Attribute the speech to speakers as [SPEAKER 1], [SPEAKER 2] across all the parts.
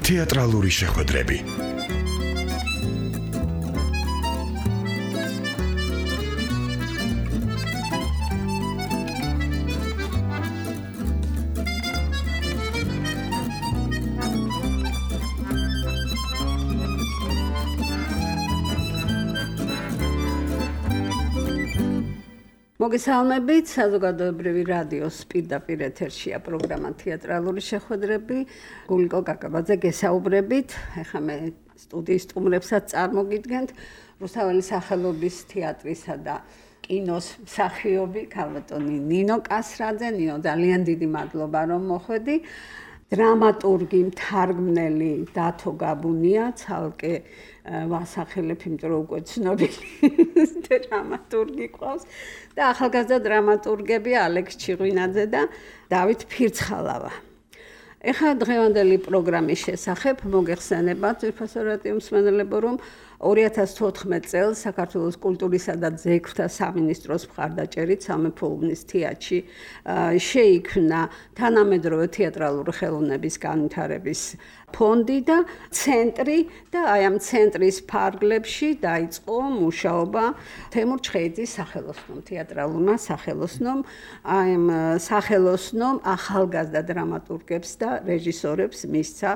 [SPEAKER 1] თეატრალური შეხვედრები.
[SPEAKER 2] მოგესალმებით, საზოგადოებრივი რადიოს პირდაპირ ეთერშია პროგრამა თეატრალური შეხვედრები. გულიკო კაკაბაძე გესაუბრებით. ეხლა მე სტუდიის სტუმრებსაც წარმოგიდგენთ. რუსთაველის სახელობის თეატრისა და კინოს მსახიობი ქალბატონი ნინო კასრაძე. ნინო, ძალიან დიდი მადლობა რომ მოხვედი. დრამატურგი, მთარგმნელი დათო გაბუნია, ცალკე ვასახელებ, იმიტომ რომ უკვე ცნობილი დრამატურგი ყავს და ახალგაზრდა დრამატურგები ალექს ჩიღვინაძე და დავით ფირცხალავა. ეხლა დღევანდელი პროგრამის შესახებ მოგეხსენებათ ძვირფასო რადიო მსმენელებო, რომ 2014 წელს საქართველოს კულტურისა და ძეგლთა სამინისტროს მხარდაჭერით სამეფო უბნის თეატრში შეიქმნა თანამედროვე თეატრალური ხელოვნების განვითარების ფონდი და ცენტრი და აი ამ ცენტრის ფარგლებში დაიწყო მუშაობა თემურ ჩხეიძის სახელოსნომ, თეატრალურმა სახელოსნომ. აი ამ სახელოსნომ ახალგაზრდა დრამატურგებს და რეჟისორებს მისცა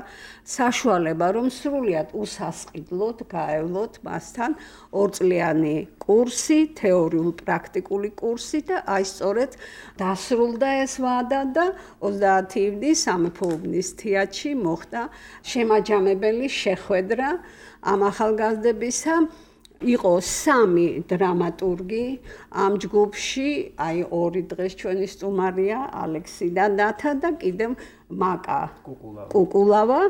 [SPEAKER 2] საშუალება, რომ სრულიად უსასყიდლოდ გაევლოთ მასთან ორწლიანი კურსი, თეორიულ-პრაქტიკული კურსი და აი სწორედ დასრულდა ეს ვადა და 30 ივნის სამეფო უბნის თეატრში მოხდა შემაჯამებელი შეხვედრა ამ ახალგაზრდებისა. იყო 3 დრამატურგი ამ ჯგუფში, აი 2 დღეს ჩვენი სტუმარია ალექსი და დათა და კიდევ მაკა კუკულავა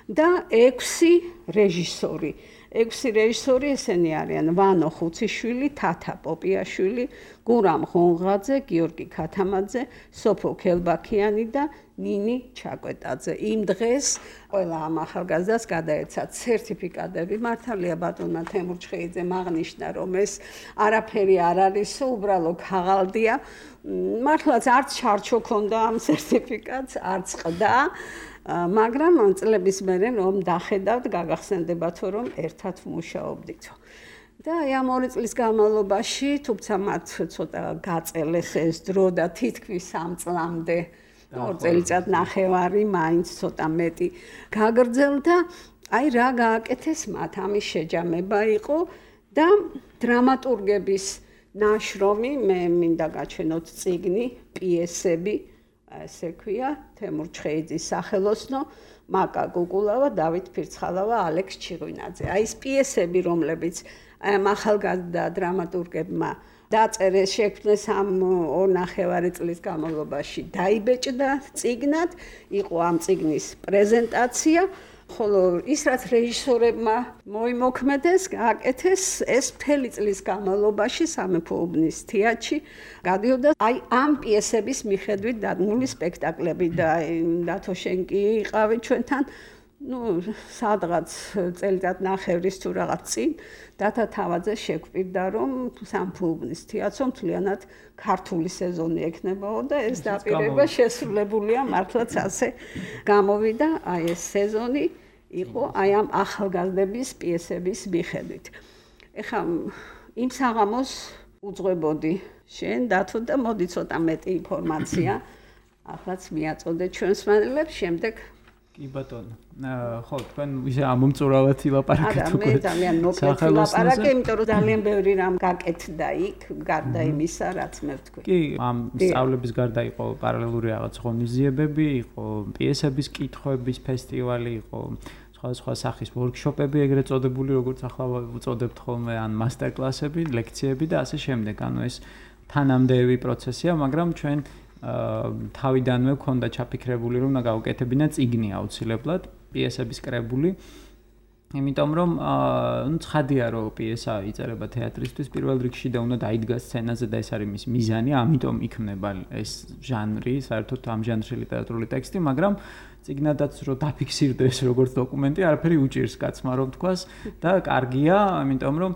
[SPEAKER 2] და 6 რეჟისორი. 6 რეჟისორი ესენი არიან ვანო ხუციშვილი, თათა პოპიაშვილი, გურამ ღონღაძე, გიორგი ქათამაძე, სოფო ქელბაქიანი და ნინი ჩაკვეტაძე. იმ დღეს ყველა ამ ახალგაზრდას გადაეცა სერტიფიკატები. მართალია ბატონმა თემურ ჩხეიძემ აღნიშნა, რომ ეს არაფერი არ არის, უბრალო ქაღალდია. მართლაც არც ჩარჩო ქონდა ამ სერტიფიკატს, არც ყდა. მაგრამ წლების მერე რომ დახედავთ, გაგახსენდებათო, რომ ერთად მუშაობდითო. და ამ 2 წლის განმავლობაში, თუმცა მათ ცოტა გაწელეს ეს დრო და თითქმის 3 წლამდე 2 წელიწად ნახევარი მაინც ცოტა მეტი გაგრძელდა. აი რა გააკეთეს მათ, ამის შეჯამება იყო და დრამატურგების ნაშრომი, მე მინდა გაჩვენოთ წიგნი, პიესები, ესე ქვია, თემურ ჩხეიძის სახელოსნო, მაკა კუკულავა, დავით ფირცხალავა, ალექს ჩიღვინაძე. აი ეს პიესები, რომლებიც ამ ახალგაზრდა დრამატურგებმა დაწერეს, შექმნეს ამ 2.5 წლის განმავლობაში, დაიბეჭდა წიგნად, იყო ამ წიგნის პრეზენტაცია. ხოლო ის რაც რეჟისორებმა მოიმოქმედეს, გააკეთეს, ეს მთელი წლის განმავლობაში სამეფო უბნის თეატრში გადიოდა აი ამ პიესების მიხედვით დადგმული სპექტაკლები და დათო შენ კი იყავი ჩვენთან, სადღაც წელიწად ნახევრის თუ რაღაც წინ დათა თავაძე შეგვპირდა, რომ სამეფო უბნის თეატრში მთლიანად ქართული სეზონი ექნებაო და ეს დაპირება შესრულებულია მართლაც ასე გამოვიდა აი ეს სეზონი იყო აი ამ ახალგაზრდების პიესების მიხედვით. ეხლა იმ საღამოს უძღვებოდი შენ დათო და მოდი ცოტა მეტი ინფორმაცია ახლაც მიაწოდე ჩვენს მსმენელებს, შემდეგ
[SPEAKER 3] კი ბატონო. ხო, თქვენ ისე ამომწურავად ილაპარაკეთ უკვე.
[SPEAKER 2] მე ძალიან მოკლედ ილაპარაკე, იმიტომ რომ ძალიან ბევრი რამ გაკეთდა იქ, გარდა იმისა, რაც მე ვთქვი.
[SPEAKER 3] კი, ამ სწავლების გარდა იყო პარალელური რაღაც ღონისძიებები, იყო პიესების კითხვების ფესტივალი, იყო სხვა სახის ვორქშოპები, ეგრეთ წოდებული, როგორც ახლა ვუწოდებთ ხოლმე, ან მასტერკლასები, ლექციები და ასე შემდეგ. ანუ ეს თანამდები პროცესია, მაგრამ ჩვენ თავიდანვე გქონდა ჩაფიქრებული, რომ უნდა გავუკეთებინა წიგნი აუცილებლად, პიესების კრებული. იმიტომ რომ ცხადია რომ პიესა იწერება თეატრისთვის პირველ რიგში და უნდა დაიდგას სცენაზე და ეს არის მის მიზანი, ამიტომ იქმნება ეს ჟანრი, საერთოდ ამ ჟანრში ლიტერატურული ტექსტი, მაგრამ წიგნადაც რომ დაფიქსირდეს როგორც დოკუმენტი, არაფერი უჭირს კაცმა რომ თქვას და კარგია, იმიტომ რომ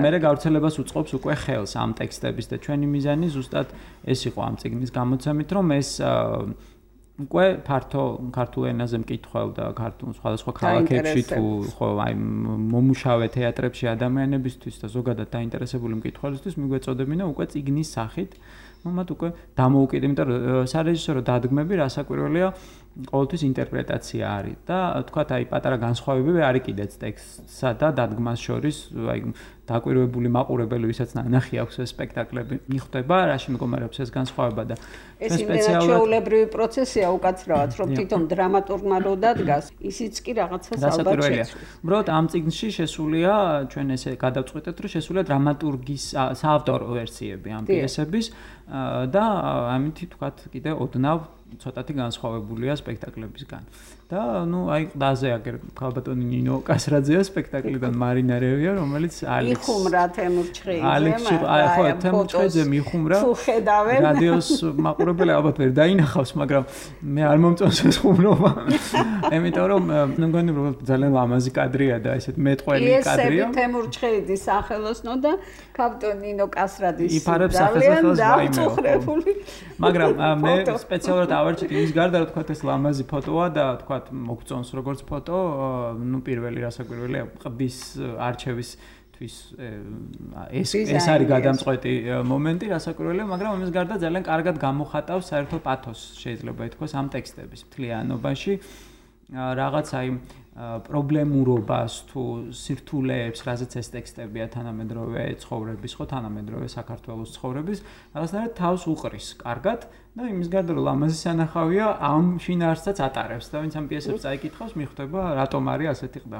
[SPEAKER 3] მერე გავრცელებას უწყობს უკვე ხელს ამ ტექსტების და ჩვენი მიზანი ზუსტად ეს იყო ამ წიგნის გამოცემით, რომ ეს უკვე ფართო ქართულ ენაზე მკითხველს და ქართულ სხვადასხვა ქალაქებში თუ ხო აი მომუშავე თეატრებში ადამიანებისთვის და ზოგადად დაინტერესებული მკითხველისთვის მიგვეწოდებინა უკვე წიგნის სახით მათ უკვე დამოუკიდებლად, იმიტომ რომ სარეჟისორო დადგმები რასაკვირველია ყოველთვის ინტერპრეტაცია არის და თქვათ აი პატარა განსხვავებები არის კიდეც ტექსტსა და დადგმას შორის, აი დაკვირვებული მაყურებელი, ვისაც ნახი აქვს ეს სპექტაკლები, მიხვდება რაში მდგომარეობს ეს განსხვავება და
[SPEAKER 2] ეს იმდენად ჩვეულებრივი პროცესია უკაცრავად, რომ თვითონ დრამატურგმა რო დადგას, ისიც კი რაღაცას ალბათ შეცვლის.
[SPEAKER 3] უბრალოდ ამ წიგნში შესულია, ჩვენ ესე გადავწყვეტეთ, რომ შესულია დრამატურგის საავტორო ვერსიები ამ პიესების და ამით თქვათ კიდე ოდნავ ცოტათი განსხვავებულია სპექტაკლებისგან. და ნუ აი ყდაზე აგერ ქალბატონი ნინო კასრაძეა სპექტაკლიდან მარინა რევია, რომელიც ალექს
[SPEAKER 2] მიხუმრა თემურჩხეიძე,
[SPEAKER 3] ხო, თემურჩხეიძე მიხუმრა.
[SPEAKER 2] თუ ხედავენ
[SPEAKER 3] რადიოს მაყურებელი ალბათ ვერ დაინახავს, მაგრამ მე არ მომწონს ეს ხუმრობა. იმიტომ რომ მგონი რომ ძალიან ლამაზი კადრია და ესეთ მეტყველი კადრია.
[SPEAKER 2] ეს თემურჩხეიძის სახელოსნო და ქალბატონი ნინო კასრაძის
[SPEAKER 3] ძალიან
[SPEAKER 2] დაუწუხრებული.
[SPEAKER 3] მაგრამ მე სპეციალურად ავარჩით იმის გარდა რომ თქვა ეს ლამაზი ფოტოა და თქვა მოგწონს როგორც ფოტო, ნუ პირველი რასაკვირველია ყბის არჩევისთვის ეს არის გადამწყვეტი მომენტი რასაკვირველია, მაგრამ ამის გარდა ძალიან კარგად გამოხატავს საერთო პათოსს შეიძლება ითქვას ამ ტექსტების მთლიანობაში რაღაც აი პრობლემურობას თუ სირთულეებს, რაზეც ეს ტექსტებია თანამედროვე ცხოვრების, ხო თანამედროვე საქართველოს ცხოვრების, რაღაცნაირად თავს უყრის კარგად და იმის გარდა რომ ლამაზი სანახავია ამ შინაარსსაც ატარებს და ვინც ამ პიესებს წაიკითხავს, მიხვდება რატომ არის ასეთი ყდა.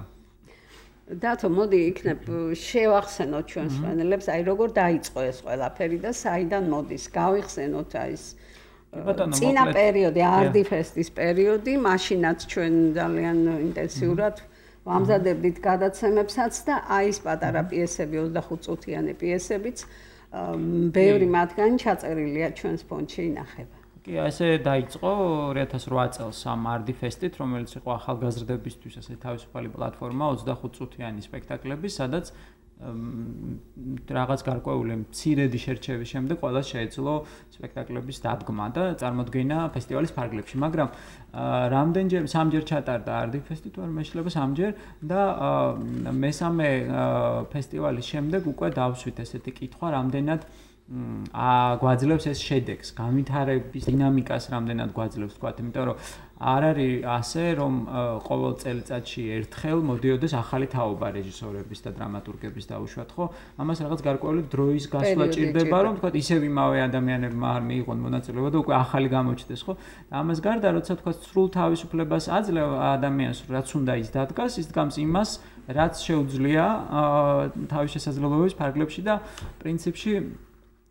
[SPEAKER 2] დათო, მოდი იქნებ შევახსენოთ ჩვენს მენელებს, აი როგორ დაიწყო ეს ყველაფერი და საიდან მოდის, გავიხსენოთ აი ეს წინა პერიოდი, არდიფესტის პერიოდი, მაშინაც ჩვენ ძალიან ინტენსიურად ვამზადებდით გადაცემებსაც და აი ეს პატარა პიესები, 25 წუთიანი პიესებიც, ბევრი მათგანი ჩაწერილია ჩვენს ფონდში ინახება.
[SPEAKER 3] კი, ესე დაიწყო 2008 წელს ამ არდიფესტით, რომელიც იყო ახალგაზრდებისთვის ასე თავისუფალი პლატფორმა 25 წუთიანი სპექტაკლების, სადაც რაღაც გარკვეული მცირედი შერჩევის შემდეგ ყველას შეეძლო სპექტაკლების დადგმა და წარმოდგენა ფესტივალის ფარგლებში, მაგრამ რამდენჯერ სამჯერ ჩატარდა არდიფესტი თუ არ მეშლება სამჯერ და მესამე ფესტივალის შემდეგ უკვე დავსვით ესეთი კითხვა, რამდენად გვაძლევს ეს შედეგს, განვითარების დინამიკას რამდენად გვაძლევს, თქვათ, იმიტომ რომ არ არის ასე, რომ ყოველ წელიწადში ერთხელ მოდიოდეს ახალი თაობა რეჟისორების და დრამატურგების დაუშვათ, ხო? ამას რაღაც გარკვეული დროის გასვლა ჭირდება, რომ თქვათ, ისევ იმავე ადამიანებმა არ მიიღონ მონაწილეობა და უკვე ახალი გამოჩნდეს, ხო? ამას გარდა, როცა თქვათ, სრულ თავისუფლებას აძლევ ადამიანს, რაც უნდა ის დადგას, ის დგამს იმას, რაც შეუძლია თავის შესაძლებლობების ფარგლებში და პრინციპში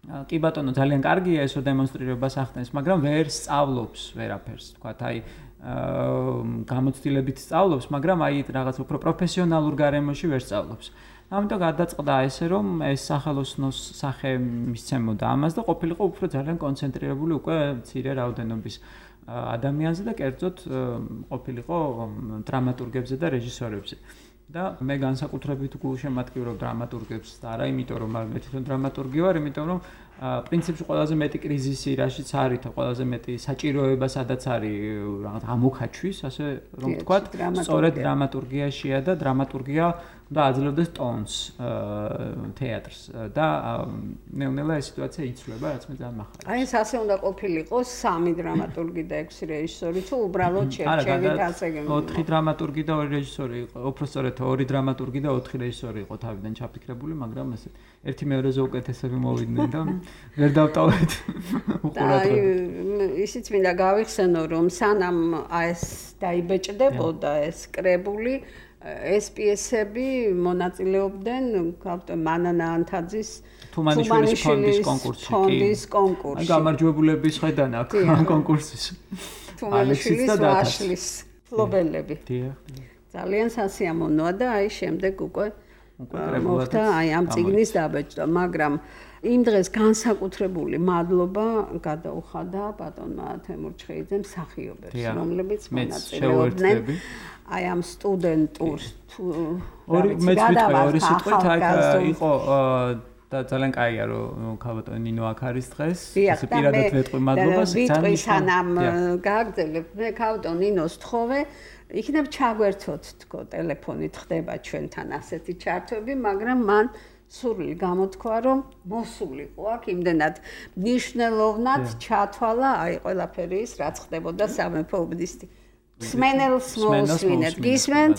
[SPEAKER 3] კი ბატონო, ძალიან კარგია ესო დემონსტრირებას ახდენს, მაგრამ ვერ სწავლობს ვერაფერს, თქვათ, აი გამოცდილებით სწავლობს, მაგრამ აი რაღაც უფრო პროფესიონალურ გარემოში ვერ სწავლობს. ამიტომ გადაწყდა ესე, რომ ეს სახელოსნოს სახე მისცემოდა ამას და ყოფილიყო უფრო ძალიან კონცენტრირებული უკვე მცირე რაოდენობის ადამიანზე და კერძოდ ყოფილიყო დრამატურგებზე და რეჟისორებზე. და მე განსაკუთრებით გულშემატკივრობ დრამატურგებს და არა იმიტომ რომ მე თვითონ დრამატურგი ვარ, იმიტომ რომ პრინციპში ყველაზე მეტი კრიზისი რაშიც არის და ყველაზე მეტი საჭიროება სადაც არის რაღაც ამოქაჩვის, ასე რომ ვთქვათ, სწორედ დრამატურგიაშია და დრამატურგია და აძლევდეს ტონს თეატრს და ნელ-ნელა ეს სიტუაცია იცვლება, რაც მე ძალიან მახარია.
[SPEAKER 2] აი ეს ასე უნდა ყოფილიყო 3 დრამატურგი და 6 რეჟისორი, თუ უბრალოდ შერჩევით ასე გემო.
[SPEAKER 3] 4 დრამატურგი და 2 რეჟისორი იყო, უბრალოდ 2 დრამატურგი და 4 რეჟისორი იყო თავიდან ჩაფიქრებული, მაგრამ ესე ერთი მეორეზე უკეთესები მოვიდნენ და ვერ დავტოვეთ უყურადღება.
[SPEAKER 2] ისიც მინდა გავიხსენო, რომ სანამ ეს დაიბეჭდებოდა ეს კრებული, ეს პიესები მონაწილეობდნენ მანანა ანთაძის
[SPEAKER 3] თუმანიშვილის ფონდის კონკურსში. აი გამარჯვებულების ხედან აქ კონკურსის.
[SPEAKER 2] თუმანიშვილის ვაშლის ფლობელები. ძალიან სასიამოვნოა და აი შემდეგ უკვე მოხდა აი ამ წიგნის დაბეჭდა, მაგრამ იმ დღეს განსაკუთრებული მადლობა გადაუხადა ბატონმა თემურ ჩხეიძემ მსახიობებს, რომლებიც მონაწილეობდნენ აი ამ სტუდენტურ
[SPEAKER 3] ორი სიტყვით აი იყო და ძალიან კაია რომ ქალბატონი ნინო აქ არის დღეს ესე პირადად ვეტყვი მადლობას
[SPEAKER 2] ძალიან სანამ გააგრძელებთ მე ქალბატონ ნინოს თხოვე იქნებ ჩაგვერთოთ თქო ტელეფონით ხდება ჩვენთან ასეთი ჩართვები მაგრამ მან სურვილი გამოთქვა რომ მოსულიყო აქ იმდენად მნიშვნელოვნად ჩათვალა აი ყველაფერი ის რაც ხდებოდა სამეფო უბნისთი სმენელს მოусვინეთ გისმენთ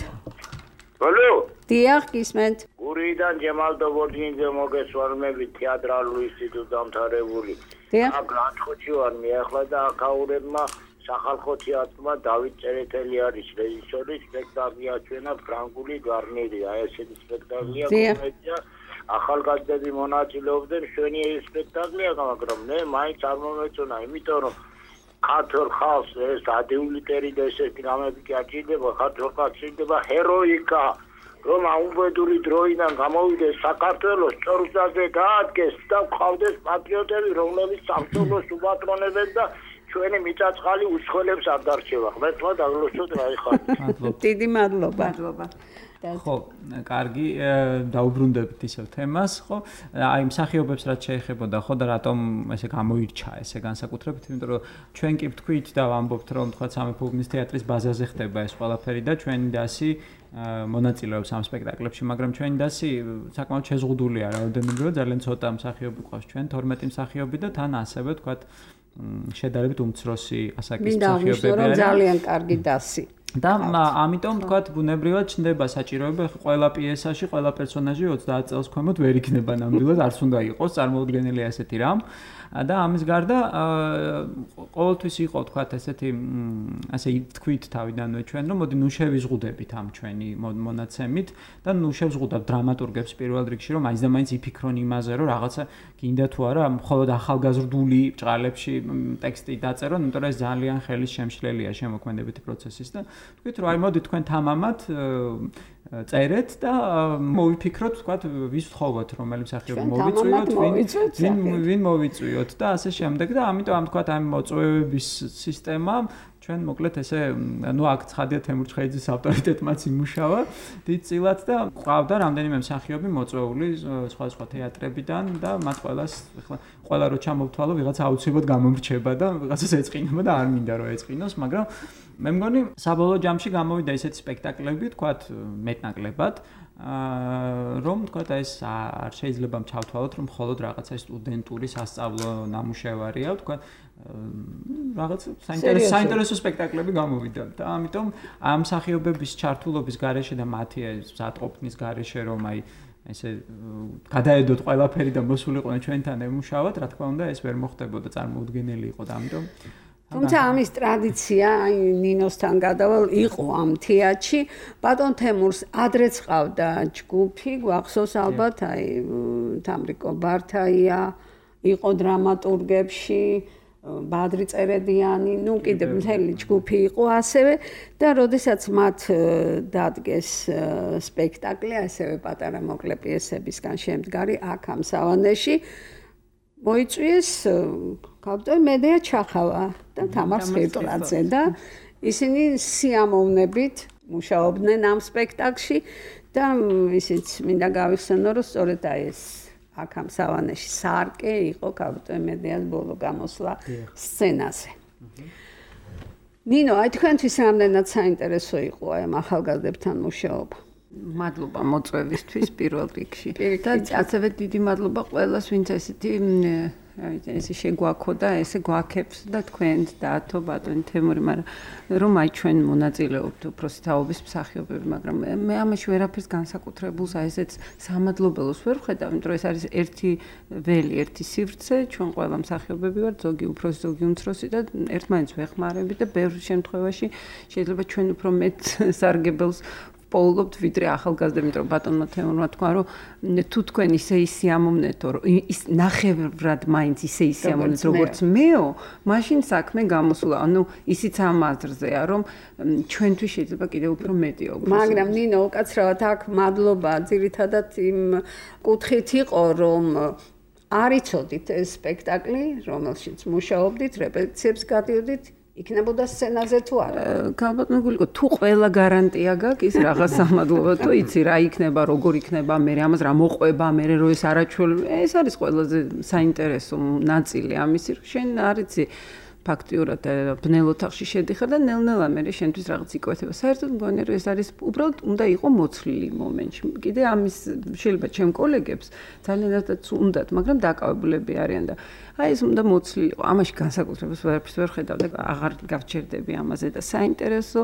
[SPEAKER 4] Алло.
[SPEAKER 2] დიახ გისმენთ
[SPEAKER 4] გურიდან ჯემალ დობორჯინიძე მოგესალმებით თეატრალური ინსტიტუტის დამთავრებული. აქ ლანჩხუთში ვარ მე ახლა და აქაურებმა სახალხო თეატრმა დავით წერეთელი არის რეჟისორი სპექტაკლი აჩვენა ფრანგული გარნირი აი ესეთი სპექტაკლია კომედია ახალგაზრდები მონაწილეობდნენ შვენიერი სპექტაკლია მაგრამ მე მაინც არ მომეწონა იმიტომ რომ ქართულ ხალხს ეს ადეული ტერი და ესეთი რამები კი აჭირდება ქართულ ხალხს შეიძლება ჰეროიკა რომ აუმბედური დროიდან გამოვიდეს საქართველოს ჭორზაზე გაადგეს და ყავდეს პატრიოტები რომლებიც სამშობლოს უპატრონებენ და ჩვენი მიწაწყალი უსხოლებს არ დარჩება ხმა თქვა დაგლოცოთ რა იხარ
[SPEAKER 2] დიდი მადლობა
[SPEAKER 3] ხო, კარგი, დაუბრუნდებით ისევ თემას, ხო? აი მსახიობებს რაც შეეხებოდა, ხო და რატომ ესე გამოირჩა ესე განსაკუთრებით, იმიტომ რომ ჩვენ კი ვთქვით და ვამბობთ, რომ თქვა სამეფო უბნის თეატრის ბაზაზე ხდება ეს ყველაფერი და ჩვენი დასი მონაწილეობს ამ სპექტაკლებში, მაგრამ ჩვენი დასი საკმაოდ შეზღუდულია რაოდენობრივად, ძალიან ცოტა მსახიობი ყავს ჩვენ, 12 მსახიობი და თან ასევე თქვა შედარებით უმცროსი ასაკის მსახიობები
[SPEAKER 2] არიან. ძალიან კარგი დასი.
[SPEAKER 3] და ამიტომ თქვათ ბუნებრივად ჩნდება საჭიროება ყველა პიესაში, ყველა პერსონაჟი 30 წელს ქვემოთ ვერ იქნება ნამდვილად, არც უნდა იყოს წარმოუდგენელი ასეთი რამ. და ამის გარდა ყოველთვის იყო თქვათ ესეთი ასე თქვით თავიდანვე ჩვენ რომ მოდი ნუ შევიზღუდებით ამ ჩვენი მონაცემით და ნუ შევზღუდავთ დრამატურგებს პირველ რიგში რომ მაინც და მაინც იფიქრონ იმაზე რომ რაღაცა გინდა თუ არა მხოლოდ ახალგაზრდული ბრჭყალებში ტექსტი დაწერონ, იმიტომ რომ ეს ძალიან ხელის შემშლელია შემოქმედებითი პროცესის და თქვით რომ აი მოდი თქვენ თამამად წერეთ და მოვიფიქროთ თქვათ ვის ვთხოვოთ რომელი მსახიობი მოვიწვიოთ ვინ მოვიწვიოთ და ასე შემდეგ და ამიტომ ამ თქვათ ამ მოწვევების სისტემა ჩვენ მოკლედ ესე ნუ აქ ცხადია თემურ ჩხეიძის ავტორიტეტმაც იმუშავა დიდწილად და ყავდა რამდენიმე მსახიობი მოწვეული სხვა თეატრებიდან და მათ ყველას ახლა ყველა რო ჩამოვთვალო ვიღაცა აუცილებლად გამომრჩება და ვიღაცას ეწყინება და არ მინდა რომ ეწყინოს მაგრამ მე მგონი საბოლოო ჯამში გამოვიდა ესეთი სპექტაკლები თქვათ მეტნაკლებად რომ თქვათ ეს არ შეიძლება ჩავთვალოთ რომ მხოლოდ რაღაცა სტუდენტური სასწავლო ნამუშევარია თქვათ რაღაც საინტერესო სპექტაკლები გამოვიდა და ამიტომ ამ მსახიობების ჩართულობის გარეშე და მათი ზატყოფნის გარეშე რომ აი ესე გადაედოთ ყველაფერი და მოსულიყვნენ ჩვენთან ემუშავოთ რა თქმა უნდა ეს ვერ მოხდებოდა წარმოუდგენელი იყო და ამიტომ
[SPEAKER 2] თუმცა ამის ტრადიცია აი ნინოსთან გადავალ იყო ამ თეატრში ბატონ თემურს ადრეც ყავდა ჯგუფი გვახსოვს ალბათ აი თამრიკო ბართაია იყო დრამატურგებში ბადრი წერედიანი ნუ კიდევ მთელი ჯგუფი იყო ასევე და როდესაც მათ დადგეს სპექტაკლი ასევე პატარა მოკლე პიესებისგან შემდგარი აქ ამ სავანეში მოიწვიეს კაპიტან მედია ჩახავა და თამარ სხირტლაძე და ისინი სიამოვნებით მუშაობდნენ ამ სპექტაკლში და ისიც მინდა გავიხსენო რომ სწორედ აი ეს აქ ამ სავანეში სარკე იყო კაპიტან მედიას ბოლო გამოსვლა სცენაზე. ნინო, აი თქვენთვის რამდენად საინტერესო იყო აი ამ ახალგაზრდებთან მუშაობა?
[SPEAKER 5] მადლობა მოწვევისთვის პირველ რიგში. და ასევე დიდი მადლობა ყველას, ვინც ესეთი ესე შეგვაქოდა, ესე გვაქებს და თქვენ დათო ბატონი თემური, მაგრამ რომ აი ჩვენ მონაწილეობთ უბრალოდ თაობის მსახიობები, მაგრამ მე ამაში ვერაფერს განსაკუთრებულს აი ესეც სამადლობელოს ვერ ვხედავ, იმიტომ რომ ეს არის ერთი ველი, ერთი სივრცე, ჩვენ ყველა მსახიობები ვართ, ზოგი უფროსი, ზოგი უმცროსი და ერთმანეთს ვეხმარებით და ბევრ შემთხვევაში შეიძლება ჩვენ უფრო მეტ სარგებელს პოულობთ ვიდრე ახალგაზრდები, იმიტომ რომ ბატონმა თემურმა თქვა, რომ თუ თქვენ ისე სიამოვნეთო, ის ნახევრად მაინც ისე სიამოვნეთ, როგორც მეო, მაშინ საქმე გამოსულა. ანუ ისიც ამ აზრზეა, რომ ჩვენთვის შეიძლება კიდევ უფრო მეტი აუგოს.
[SPEAKER 2] მაგრამ ნინო, უკაცრავად აქ მადლობა ძირითადად იმ კუთხით იყო, რომ არ იცოდით ეს სპექტაკლი, რომელშიც მუშაობდით, რეპეტიციებს გადიოდით, იქნებოდა სცენაზე თუ არა?
[SPEAKER 5] გალბატონო გულიკო, თუ ყველა გარანტია გაქვს, ის რაღაც სამადლობა, თუ იცი რა იქნება, როგორ იქნება, მე ამას რა მოყვება, მე რო ეს არაჩვეულებრივი, ეს არის ყველაზე საინტერესო ნაწილი ამისი, რომ შენ არ იცი ფაქტიურად ბნელ ოთახში შედიხარ და ნელ-ნელა მე შენთვის რაღაც იკვეთება. საერთოდ მგონი რომ ეს არის უბრალოდ უნდა იყო მოცლილი მომენტში. კიდე ამის შეიძლება ჩემ კოლეგებს ძალიანაც უნდათ, მაგრამ დაკავებულები არიან და აი ეს უნდა მოცლილი იყო. ამაში განსაკუთრებას ვერაფერს ვერ ხედავ და აღარ გავჩერდები ამაზე და საინტერესო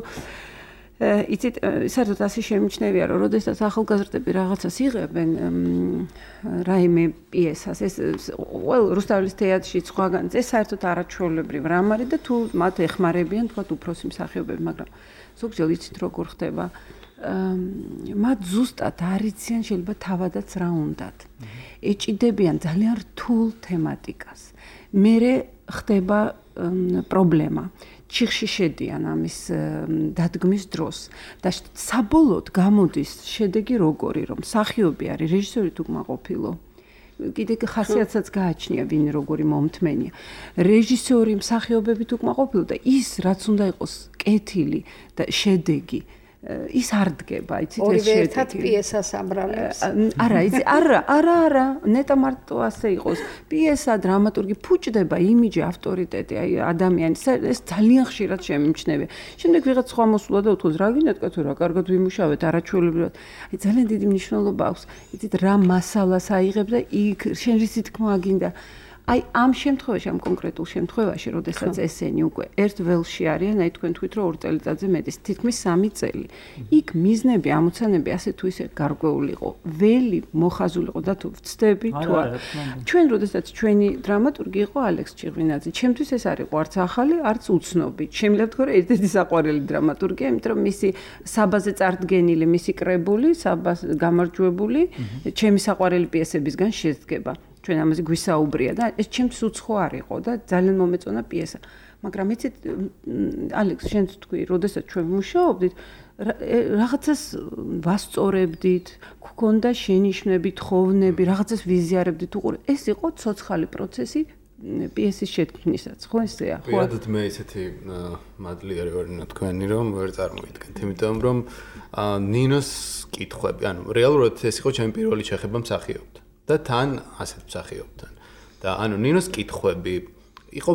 [SPEAKER 5] იცით, საერთოდ ასე შემიჩნევია, რომ როდესაც ახალგაზრდები რაღაცას იღებენ, რაიმე პიესას, ეს ყველ რუსთაველის თეატრში სხვაგან, ეს საერთოდ არაჩვეულებრივ რამ არის და თუ მათ ეხმარებიან, თქვათ უფროსი მსახიობები, მაგრამ ზოგჯერ იცით როგორ ხდება, მათ ზუსტად არ იციან შეიძლება თავადაც რა უნდათ. ეჭიდებიან ძალიან რთულ თემატიკას. მერე ხდება პრობლემა. ჩიხში შედიან ამის დადგმის დროს და საბოლოოდ გამოდის შედეგი როგორი, რომ მსახიობი არის რეჟისორი თუ კმაყოფილო. კიდე ხასიათსაც გააჩნია ვინ როგორი მომთმენია. რეჟისორი, მსახიობები თუ კმაყოფილო და ის რაც უნდა იყოს კეთილი და შედეგი ის არ დგება, იცით ეს
[SPEAKER 2] შედეგი. ორივე ერთად პიესას აბრალებს.
[SPEAKER 5] არა, იცი, არა, ნეტა მარტო ასე იყოს. პიესა, დრამატურგი ფუჭდება იმიჯი, ავტორიტეტი, აი ადამიანის, ეს ძალიან ხშირად შემიმჩნევია. შემდეგ ვიღაც სხვა მოსულა და უთქვას, რა გინდათ კაცო, რა კარგად ვიმუშავეთ, არაჩვეულებრივად. აი ძალიან დიდი მნიშვნელობა აქვს. იცით, რა მასალას აიღებ და იქ შენ რისი თქმა გინდა. აი ამ შემთხვევაში, ამ კონკრეტულ შემთხვევაში, როდესაც ესენი უკვე ერთ ველში არიან, აი თქვენ თქვით, რომ 2 წელიწადზე მეტი, თითქმის 3 წელი. იქ მიზნები, ამოცანები ასე თუ ისე გარკვეული იყო. ველი მოხაზული იყო და თუ ვწდები თუ არა. ჩვენ როდესაც ჩვენი დრამატურგი იყო ალექს ჩიღვინაძე. ჩემთვის ეს არ იყო არც ახალი, არც უცნობი. შემიძლია ვთქვა, რომ ერთ-ერთი საყვარელი დრამატურგია, იმიტომ რომ მისი საბაზე წარდგენილი, მისი კრებული, საბას გამარჯვებული, ჩემი საყვარელი პიესებისგან შედგება. ჩვენ ამაზე გვისაუბრია და ეს ჩემთვის უცხო არ იყო და ძალიან მომეწონა პიესა. მაგრამ იცით, ალექს, შენც თქვი, როდესაც ჩვენ მუშაობდით, რაღაცას ვასწორებდით, გქონდა შენიშვნები, თხოვნები, რაღაცას ვიზიარებდით, უყურეთ. ეს იყო ცოცხალი პროცესი პიესის შექმნისაც, ხო ესეა?
[SPEAKER 6] ხო. პირადად მე ისეთი მადლიარი ვარ თქვენი, რომ ვერ წარმოიდგენთ, იმიტომ რომ ნინოს კითხვები, ანუ რეალურად ეს იყო ჩემი პირველი შეხება მსახიობთან. და თან ასეთ მსახიობთან. და ანუ ნინოს კითხვები იყო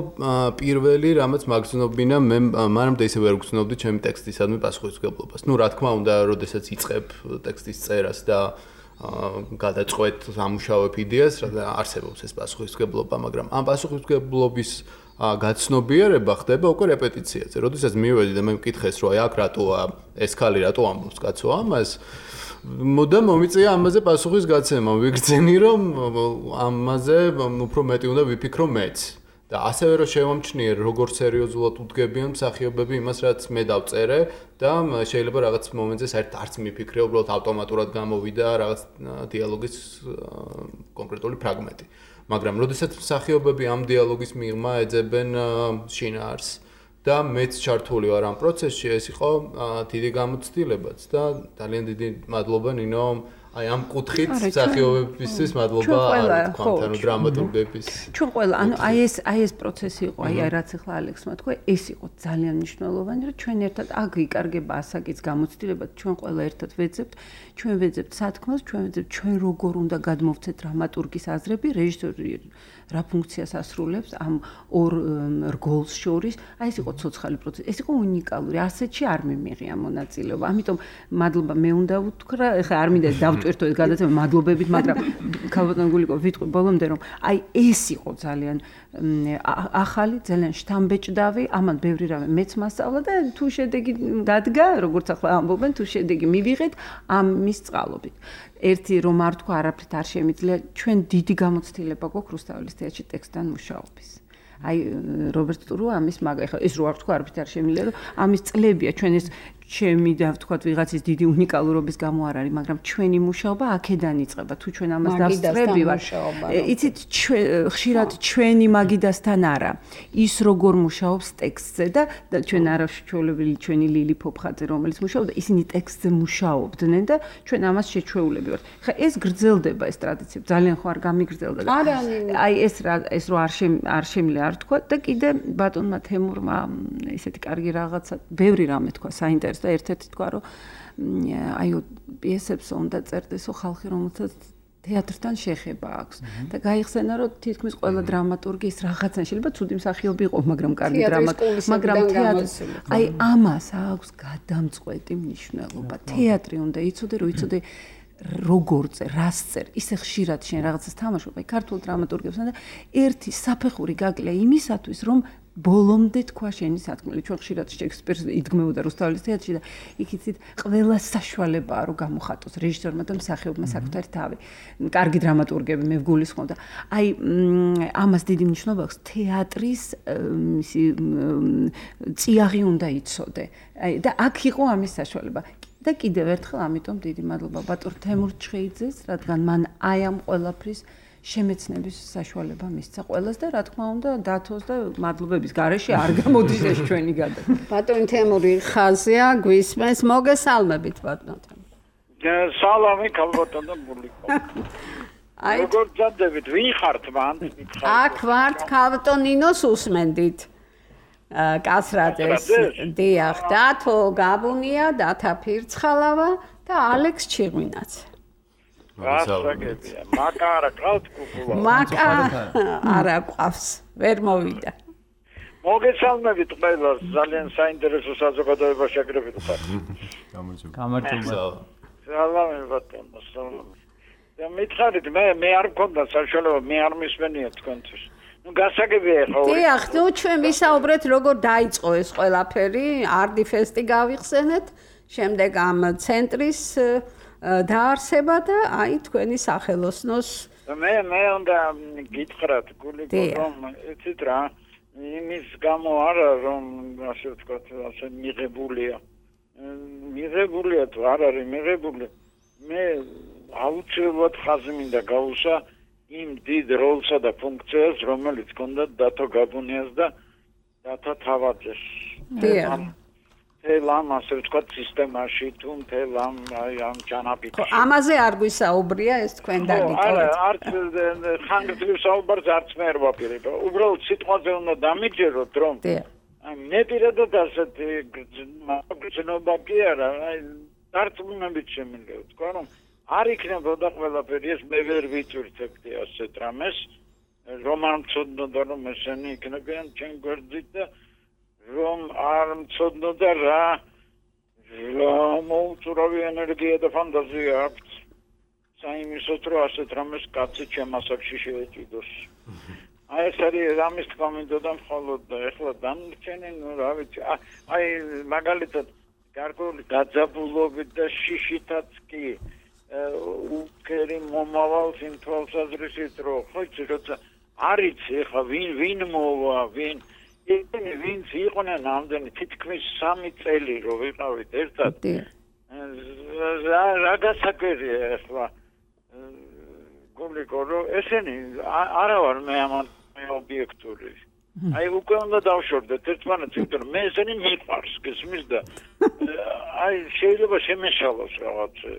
[SPEAKER 6] პირველი, რამაც მაგზნობინა მე მანამდე ისე ვერ გრძნობდი ჩემი ტექსტისადმი პასუხისმგებლობას. ნუ რა თქმა უნდა, როდესაც იწყებ ტექსტის წერას და გადაწყვეტ ამუშავებ იდეას, რა არსებობს ეს პასუხისმგებლობა, მაგრამ ამ პასუხისმგებლობის გაცნობიერება ხდება უკვე რეპეტიციაზე. როდესაც მივედი და მე მკითხეს, რომ აი აქ რატოა ეს ქალი რატო ამბობს კაცო ამას, მოდა მომიწია ამაზე პასუხის გაცემა. ვიგრძენი რომ ამაზე უფრო მეტი უნდა ვიფიქრო მეც. და ასევე რომ შევამჩნიერ როგორ სერიოზულად უდგებიან მსახიობები იმას, რაც მე დავწერე და შეიძლება რაღაც მომენტზე საერთოდ არც მიფიქრე, უბრალოდ ავტომატურად გამოვიდა რაღაც დიალოგის კონკრეტული ფრაგმენტი. მაგრამ როდესაც მსახიობები ამ დიალოგის მიღმა ეძებენ შინაარს და მეც ჩართული ვარ ამ პროცესში, ეს იყო დიდი გამოცდილებაც და ძალიან დიდი მადლობა ნინო, აი ამ კუთხით მსახიობებისთვის მადლობა თქვათ, ანუ დრამატურგების.
[SPEAKER 5] ჩვენ ყველა, ანუ აი ეს პროცესი იყო, აი რაც ახლა ალექსმა თქვა, ეს იყო ძალიან მნიშვნელოვანი, რომ ჩვენ ერთად აქ იკარგება ასაკის გამოცდილება, ჩვენ ყველა ერთად ვეძებთ, ჩვენ ვეძებთ სათქმელს, ჩვენ ვეძებთ ჩვენ როგორ უნდა გადმოვცეთ დრამატურგის აზრები, რეჟისორი რა ფუნქციას ასრულებს ამ ორ რგოლს შორის. აი ეს იყო ცოცხალი პროცესი, ეს იყო უნიკალური, ასეთში არ მიმიღია მონაწილეობა. ამიტომ მადლობა მე უნდა ვთქვა, ეხლა არ მინდა დავტვირთო ეს გადაცემა მადლობებით, მაგრამ ქალბატონ გულიკო ვიტყვი ბოლომდე რომ აი ეს იყო ძალიან ახალი, ძალიან შთამბეჭდავი, ამან ბევრი რამე მეც მასწავლა და თუ შედეგი დადგა, როგორც ახლა ამბობენ, თუ შედეგი მივიღეთ ამის წყალობით. ერთი რომ არ თქვა, არაფრით არ შემიძლია, ჩვენ დიდი გამოცდილება გვაქვს რუსთაველის თეატრში ტექსტთან მუშაობის. აი რობერტ ტურუ ამის ეხლა ეს რო არ თქვა, არაფრით არ შემიძლია, რომ ამის წლებია ჩვენ ეს ჩემი და ვთქვათ ვიღაცის დიდი უნიკალურობის გამო არ არის, მაგრამ ჩვენი მუშაობა აქედან იწყება. თუ ჩვენ ამას დავსწრებივართ, იცით, ხშირად ჩვენი მაგიდასთან არა. ის როგორ მუშაობს ტექსტზე და ჩვენ არაშჩეულებელი ჩვენი ლილი ფოფხაძე, რომელიც მუშაობდა, ისინი ტექსტზე მუშაობდნენ და ჩვენ ამას შეჩვეულები ვართ. ხა ეს გრძელდება ეს ტრადიცია, ძალიან ხო არ გამიგრძელდა და აი ეს რო არ შემიძლია არ თქვა და კიდე ბატონმა თემურმა ესეთი კარგი რაღაცა, ბევრი რამე თქვა საინტერესო და ერთ-ერთი თქვა რომ აიო პიესებს უნდა წერდესო ხალხი რომელსაც თეატრთან შეხება აქვს და გაიხსენა რომ თითქმის ყველა დრამატურგი ის რაღაცა შეიძლება ცუდი მსახიობი იყო მაგრამ კარგი დრამატურგი მაგრამ თეატრი აი ამას აქვს გადამწყვეტი მნიშვნელობა თეატრი უნდა იცოდე რომ იცოდე როგორ წერ, რას წერ, ისე ხშირად შენ რაღაცას თამაშობ, აი ქართულ დრამატურგებსთან და ერთი საფეხური გაკლია იმისათვის, რომ ბოლომდე თქვა შენი სათქმელი. ჩვენ ხშირად შექსპირს იდგმებოდა რუსთაველის თეატრში და იქ იცით, ყველა საშუალებაა რომ გამოხატოს რეჟისორმა და მსახიობმა საკუთარი თავი. კარგი დრამატურგები მე ვგულისხმობ და აი ამას დიდი მნიშვნელობა აქვს თეატრის ისი წიაღი უნდა იცოდე. აი და აქ იყო ამის საშუალება. და კიდევ ერთხელ ამიტომ დიდი მადლობა ბატონ თემურ ჩხეიძეს, რადგან მან აი ამ ყველაფრის შემეცნების საშუალება მისცა ყველას და რა თქმა უნდა დათოს და მადლობების გარეშე არ გამოდის ეს ჩვენი გადაცემა.
[SPEAKER 2] ბატონ თემური ხაზია, გვისმენს, მოგესალმებით ბატონ თემური.
[SPEAKER 7] სალამი ქალბატონ და ბულიკო. აი როგორ ძადებით, ვინ ხართ მან?
[SPEAKER 2] აქ ვართ ქალბატონ ნინოს უსმენდით. კასრაძეს დიახ დათო გაბუნია დათა ფირცხალავა და ალექს ჩიღვინაც
[SPEAKER 7] მაკა არა ყავთ კუკულა
[SPEAKER 2] მაკა არა ყავს ვერ მოვიდა
[SPEAKER 7] მოგესალმებით ყველას ძალიან საინტერესო საზოგადოება შეგრებით ხარ
[SPEAKER 3] გამარჯობა
[SPEAKER 7] სალამი ბატონო სალამი და მითხარით მე არ მქონდა საშუალება მე არ მისმენია თქვენთვის ნუ გასაგებია ხო?
[SPEAKER 2] დიახ, ნუ ჩვენ ვისაუბრეთ როგორ დაიწყო ეს ყველაფერი, არდი ფესტი გავიხსენეთ, შემდეგ ამ ცენტრის დაარსება და აი თქვენი სახელოსნოს
[SPEAKER 7] მე უნდა გითხრათ გულიკო რომ იცით რა იმის გამო არა რომ ასე ვთქვათ ასე მიღებულია თუ არ არის მიღებული მე აუცილებლად ხაზი მინდა გავუსვა იმ დიდ როლსა და ფუნქციას, რომელიც ჰქონდა დათო გაბუნიას და დათო თავაძეს.
[SPEAKER 2] დიახ.
[SPEAKER 7] თელ ამ ასე ვთქვათ სისტემაში თუ თელ ამ ჯანაბიჯში.
[SPEAKER 2] ამაზე არ გვისაუბრია ეს თქვენ დაგიტოვეთ.
[SPEAKER 7] არც ხანგრძლივ საუბარს არც მე არ ვაპირებ. უბრალოდ სიტყვაზე უნდა დამიჯეროთ რომ მე პირადად ასეთი გრძნობა კი არა, აი დარწმუნებით შემიძლია ვთქვა რომ არ იქნებოდა ყველაფერი ეს მე ვერ ვიწვრთებდი ასეთ რამეს რომ არ მცოდნოდა რომ ესენი იქნებიან ჩემ გვერდით და რომ არ მცოდნოდა რა მოუწურავი ენერგია და ფანტაზია აქვს საიმისოდ რომ ასეთ რამეს კაცი ჩემ ასაკში შეეჭიდოს აი ეს არის რამის თქმა მინდოდა მხოლოდ და ეხლა დამრჩენი ნუ რა ვიცი აი მაგალითად გარკვეული დაძაბულობით და შიშითაც კი უკერი მომავალს იმ თვალსაზრისით რომ ხო იცი როცა არიც ახლა ვინ მოვა ვინ იყვნენ ამდენი თითქმის 3 წელი რომ ვიყავით ერთად რა გასაკვირია ახლა გულიკო რომ ესენი არა ვარ მე ამან ობიექტური აი უკვე უნდა დავშორდეთ ერთმანეთს იმიტომ რომ მე ესენი მიყვარს გესმის და აი შეიძლება შემეშალოს რაღაცა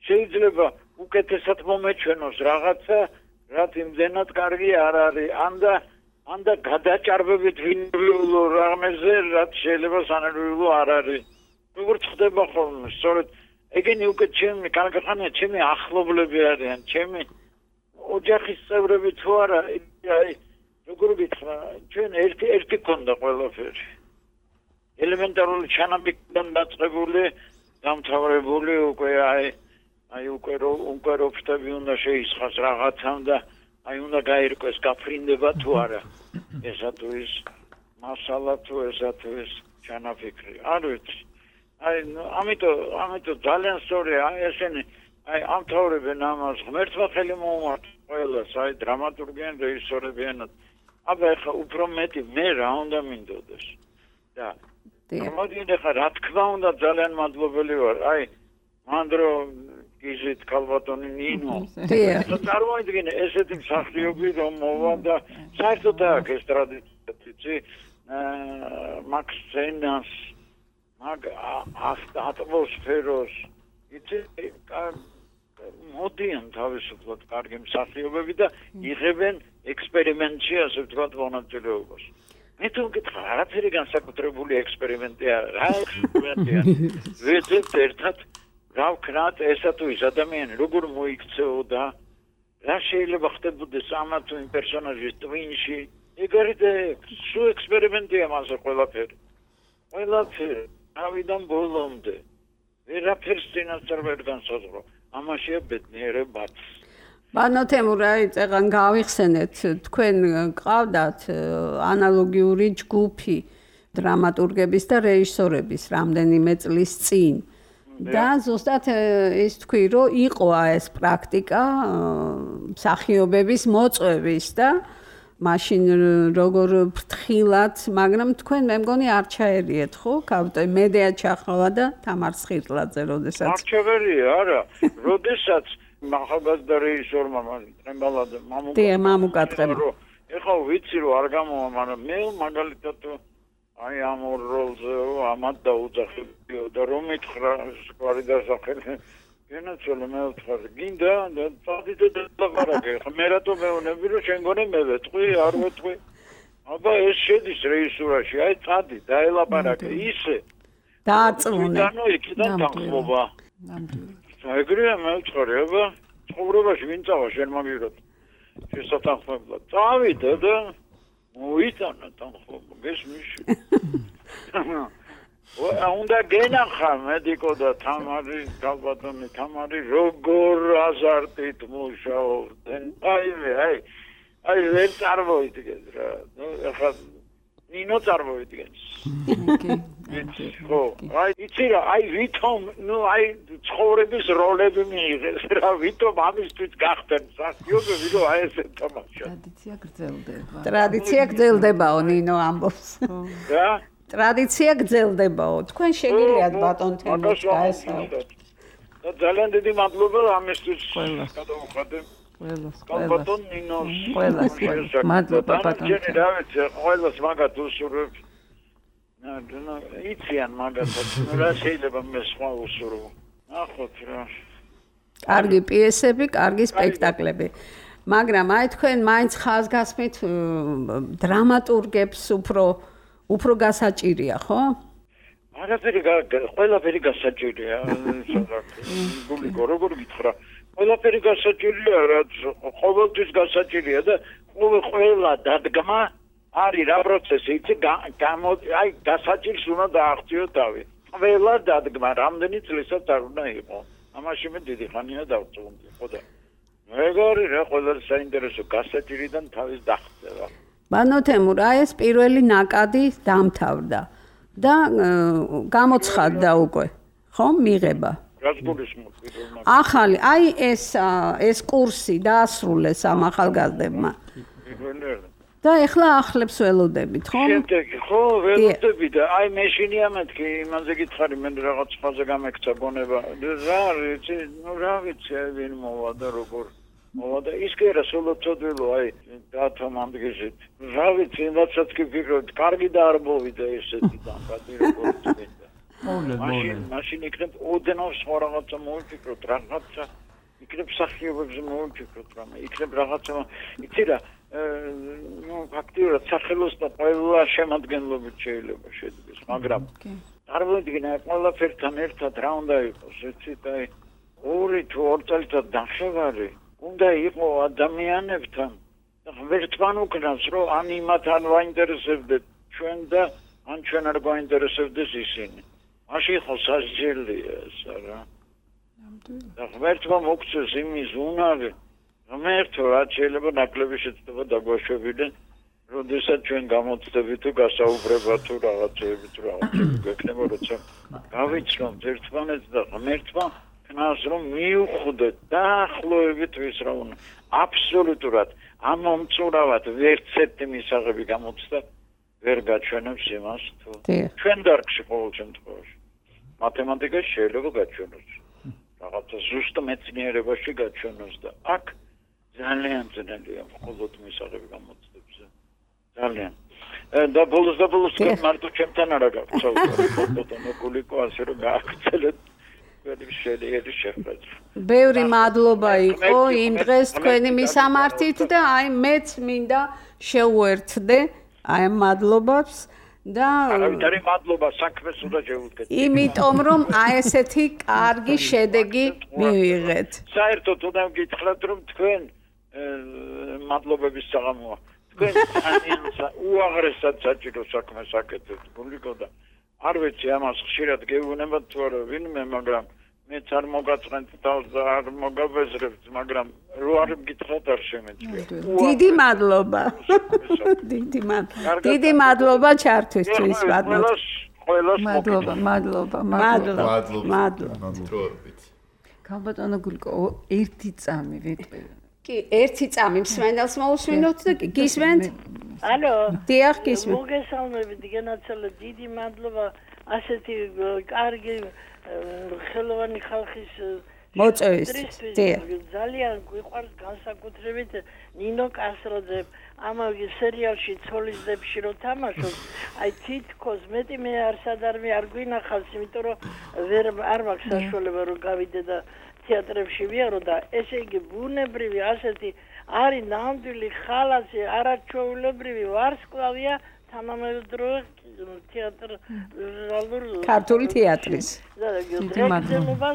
[SPEAKER 7] შეიძლება უკეთესად მომეჩვენოს რაღაცა, რაც იმდენად კარგი არ არის, ანდა გადაჭარბებით ვინერვიულო რამეზე, რაც შეიძლება სანერვიულო არ არის. როგორც ხდება ხოლმე, სწორედ ეგენი უკვე ჩემი კარგახანია, ჩემი ახლობლები არიან, ჩემი ოჯახის წევრები თუ არა, აი როგორ გითხრა, ჩვენ ერთი გქონდა ყველაფერი. ელემენტარული ჩანაფიქრიდან დაწყებული, დამთავრებული უკვე აი უკვე რო ფრთები უნდა შეისხას რაღაცამ და აი უნდა გაირკვეს გაფრინდება თუ არა ესა თუ ის მასალა თუ ესა თუ ის ჩანაფიქრი არ ვიცი აი ამიტომ ძალიან სწორია ესენი აი ამთავრებენ ამას ღმერთმა ხელი მოუმართა ყველას აი დრამატურგიან რეჟისორებიანად აბა ეხლა უფრო მეტი მე რა უნდა მინდოდეს და მოდიდი ხა რა თქმა უნდა ძალიან მადლობელი ვარ. აი მანდრო გიზით კალბატონი ნინო. წარმოიდგინე ესეთი მსახიობი რომ მოვა და საერთოდ აქ ეს ტრადიცია მაქს სცენას მაგ ატმოსფეროს იცი მოდიან თავისუფლად კარგი მსახიობები და იღებენ ექსპერიმენტში ასე ვთქვათ მონაწილეობას. მე თუ მკითხა არაფერი განსაკუთრებული ექსპერიმენტია რა ექსპერიმენტია ვეძებთ ერთად რა ვქნათ ესა თუ ის ადამიანი როგორ მოიქცეოდა რა შეიძლება ხდებოდეს ამა თუ იმ პერსონაჟის ტვინში ეგ არის სულ ექსპერიმენტია მასე ყველაფერი ავიდან ბოლომდე ვერაფერს წინასწარ ვერ განსაზღვრო ამაშია ბედნიერებაც
[SPEAKER 2] ბანო თემურაი წეგან გავიხსენეთ თქვენ გყავდათ ანალოგიური ჯგუფი დრამატურგების და რეჟისორების რამდენიმე წლის წინ და ზუსტად ის თქვი რომ იყო ეს პრაქტიკა მსახიობების მოწვევის და მაშინ როგორ ფრთხილად მაგრამ თქვენ მე მგონი არ ჩაერიეთ ხო კავტო მედია ჩახროლა და თამარ სხირტლაძე როდესაც
[SPEAKER 7] არ ჩავერია არა როდესაც მახალგაზრდა რეჟისორმა ტრემბალაძე
[SPEAKER 2] მამუკატყება
[SPEAKER 7] ეხლა ვიცი რომ არ გამოვა მაგრამ მე მაგალითად აი ამ როლზე ამათ დაუძახებიო და რომ მითხრა სკვარი დასახელი გენაცვალე მე ვთქვი გინდა და წადიდე და ლაპარაკე ხა მე რატო მეუბნები რომ შენ გონე მე ვეთყვი არ ვეთყვი აბა ეს შედის რეჟისურაში აი წადი დაელაპარაკე ისე
[SPEAKER 2] დააწმუნე
[SPEAKER 7] ანუ იქიდან თანხმობა ეგრეა მე ვთქვი აბა ცხოვრებაში ვინ წავა შენ მაგიროთ შესათანხმებლად წავიდე და მოიტანა თანხმობა გესმის უნდა გენახა მედიკო და თამარი კალბატონი თამარი როგორ აზარტით მუშაობდნენ აი ვერ წარმოვიდგენ რა ეხლა ნინო წარმოვიდგენს ხო აი იცი რა აი ვითომ ნუ აი ცხოვრების როლები მიიღეს რა ვითომ ამისთვის გახდნენ სასიობები რომ აი ესე თამაშა
[SPEAKER 2] ტრადიცია გრძელდებაო ნინო ამბობს
[SPEAKER 7] რა
[SPEAKER 2] ტრადიცია გრძელდებაო თქვენ შეგიძლიათ ბატონ თემურს
[SPEAKER 7] გაესაუბროთ და ძალიან დიდი მადლობა ამისთვის გადავუხადე კალბატონ ნინოს
[SPEAKER 5] ყველას მადლობა ბატონ
[SPEAKER 7] რა ვიცი ყველას მაგათ უსურვებ იციან მაგათაც რა შეიძლება მე სხვა უსურვო ნახოთ რა
[SPEAKER 2] კარგი პიესები კარგი სპექტაკლები მაგრამ აი თქვენ მაინც ხაზგასმით დრამატურგებს უფრო გასაჭირია ხო?
[SPEAKER 7] ყველაფერი გასაჭირია გულიკო როგორ გითხრა ყველაფერი გასაჭირია რაც ყოველთვის გასაჭირია და ყველა დადგმა არის რა პროცესი იცი აი გასაჭირს უნდა დააღწიო თავი ყველა დადგმა რამდენი წლისად არ უნდა იყოს ამაში მე დიდი ხანია დავწუნდი ხო და მეგორი რა ყველა საინტერესო გასაჭირიდან თავის დაღწევა
[SPEAKER 2] ბანო თემურ აი ეს პირველი ნაკადი დამთავრდა და გამოცხადდა უკვე ხო მიღება
[SPEAKER 7] რაც გულისხმობ პირველ
[SPEAKER 2] ახალი აი ეს კურსი დაასრულეს ამ ახალგაზრდებმა და ეხლა ახლებს ველოდებით ხო
[SPEAKER 7] შემდეგი ხო ველოდები და აი მეშინია მეთქი იმაზე გითხარი მე რაღაც ხაზე გამექცა გონება რა ვიცი ნუ რა ვიცი ვინ მოვა და როგორ მოვა ის კი რა სულ წოდვილო აი დათომ ამდგეჟეთ რა ვიცი რასაც კი ვფიქრობ კარგი და არ მოვიდა ესეთი დამკადი როგორ წინდა მაშინ იქნებ ოდნავ სხვა რაღაცა მოვიფიქროთ რაღაცა იქნებ სახიობებზე მოვიფიქროთ რამე იქნებ რაღაცა იცი რა ნუ ფაქტიურად სახელოს და ყველა შემადგენლობით შეიძლება შედგეს მაგრამ წარმოვიდგინე ყველაფერთან ერთად რა უნდა იყოს ეცით აი ორი თუ ორ წელიწად ნახევარი უნდა იყო ადამიანებთან ერთმან უკნავს რომ ან იმათ ან ვაინტერესებდეთ ჩვენ და ან ჩვენ არ გვაინტერესებდეს ისინი მაშინ ხო სასჯელია ესა რა და ერთმან მოგწეს იმის უნარი ღმერთო რაც შეიძლება ნაკლები შეცდომა დაგვაშვებიდნენ როდესაც ჩვენ გამოცდები თუ გასაუბრება თუ რაღაცები გვექნება როცა გავიცნობთ ერთმანეთს და ღმერთმა ქნას რომ მიუხვდეთ დაახლოებით ვის რა უნდა აბსოლუტურად ამომწურავად ვერც ერთი მისაღები გამოცდა ვერ გაჩვენებს იმას თუ ჩვენ დარგში ყოველ შემთხვევაში მათემატიკაში შეიძლება გაჩვენოს რაღაცა ზუსტ მეცნიერებაში გაჩვენოს და აქ ძალიან ძნელია მხოლოდ მისაღები გამოწვევებზე ძალიან და ბოლოს მარტო ჩემთან არა გაგწევთ ნოკულიკო ასე რომ გააგრძელეთ შეიძლება შეხვედრა
[SPEAKER 2] ბევრი მადლობა იყო იმ დღეს თქვენი მისამართით და აი მეც მინდა შევუერთდე აი მადლობებს და
[SPEAKER 7] არავითარი მადლობა საქმეს უნდა შევუდგეთ
[SPEAKER 2] იმიტომ რომ აი ესეთი კარგი შედეგი მივიღეთ
[SPEAKER 7] საერთოდ უნდა გითხრათ რომ თქვენ მადლობების საღამოა თქვენ ძალიან უაღრესად საჭირო საქმეს აკეთებთ გულიკო და არ ვიცი ამას ხშირად გეუბნებათ თუ არა ვინმე მაგრამ მეც არ მოგაწყენთ თავს და არ მოგაბეზრებთ მაგრამ რო არ გითხრათ არ შემეწია
[SPEAKER 2] დიდი მადლობა დიდი მადლობა ჩართვისთვის მადლობა
[SPEAKER 5] ქალბატონო გულიკო ერთი წამი ვიტყვი
[SPEAKER 2] კი ერთი წამი მსმენელს მოусვინოთ და გისმენთ
[SPEAKER 8] ალო
[SPEAKER 2] დიახ გისმენთ
[SPEAKER 8] მოგესალმებით განაცოლა დიდი მადლობა ასეთი კარგი ხელოვანი ხალხის
[SPEAKER 2] მოწვევისთვის
[SPEAKER 8] ძალიან გვიყვარს განსაკუთრებით ნინო კასროძე ამავე სერიალში ცოლისდებში რო თამაშობს აი თითქოს მეტი მე არ გვინახავს იმიტომ რომ არ მაქვს საშუალება რომ გავიდე და თეატრებში ვიარო და ესე იგი ბუნებრივი ასეთი არის ნამდვილი ხალასი არაჩვეულებრივი ვარსკვლავია თანამედროვე თეატრალურ
[SPEAKER 2] ქართული თეატრის
[SPEAKER 8] მადლობა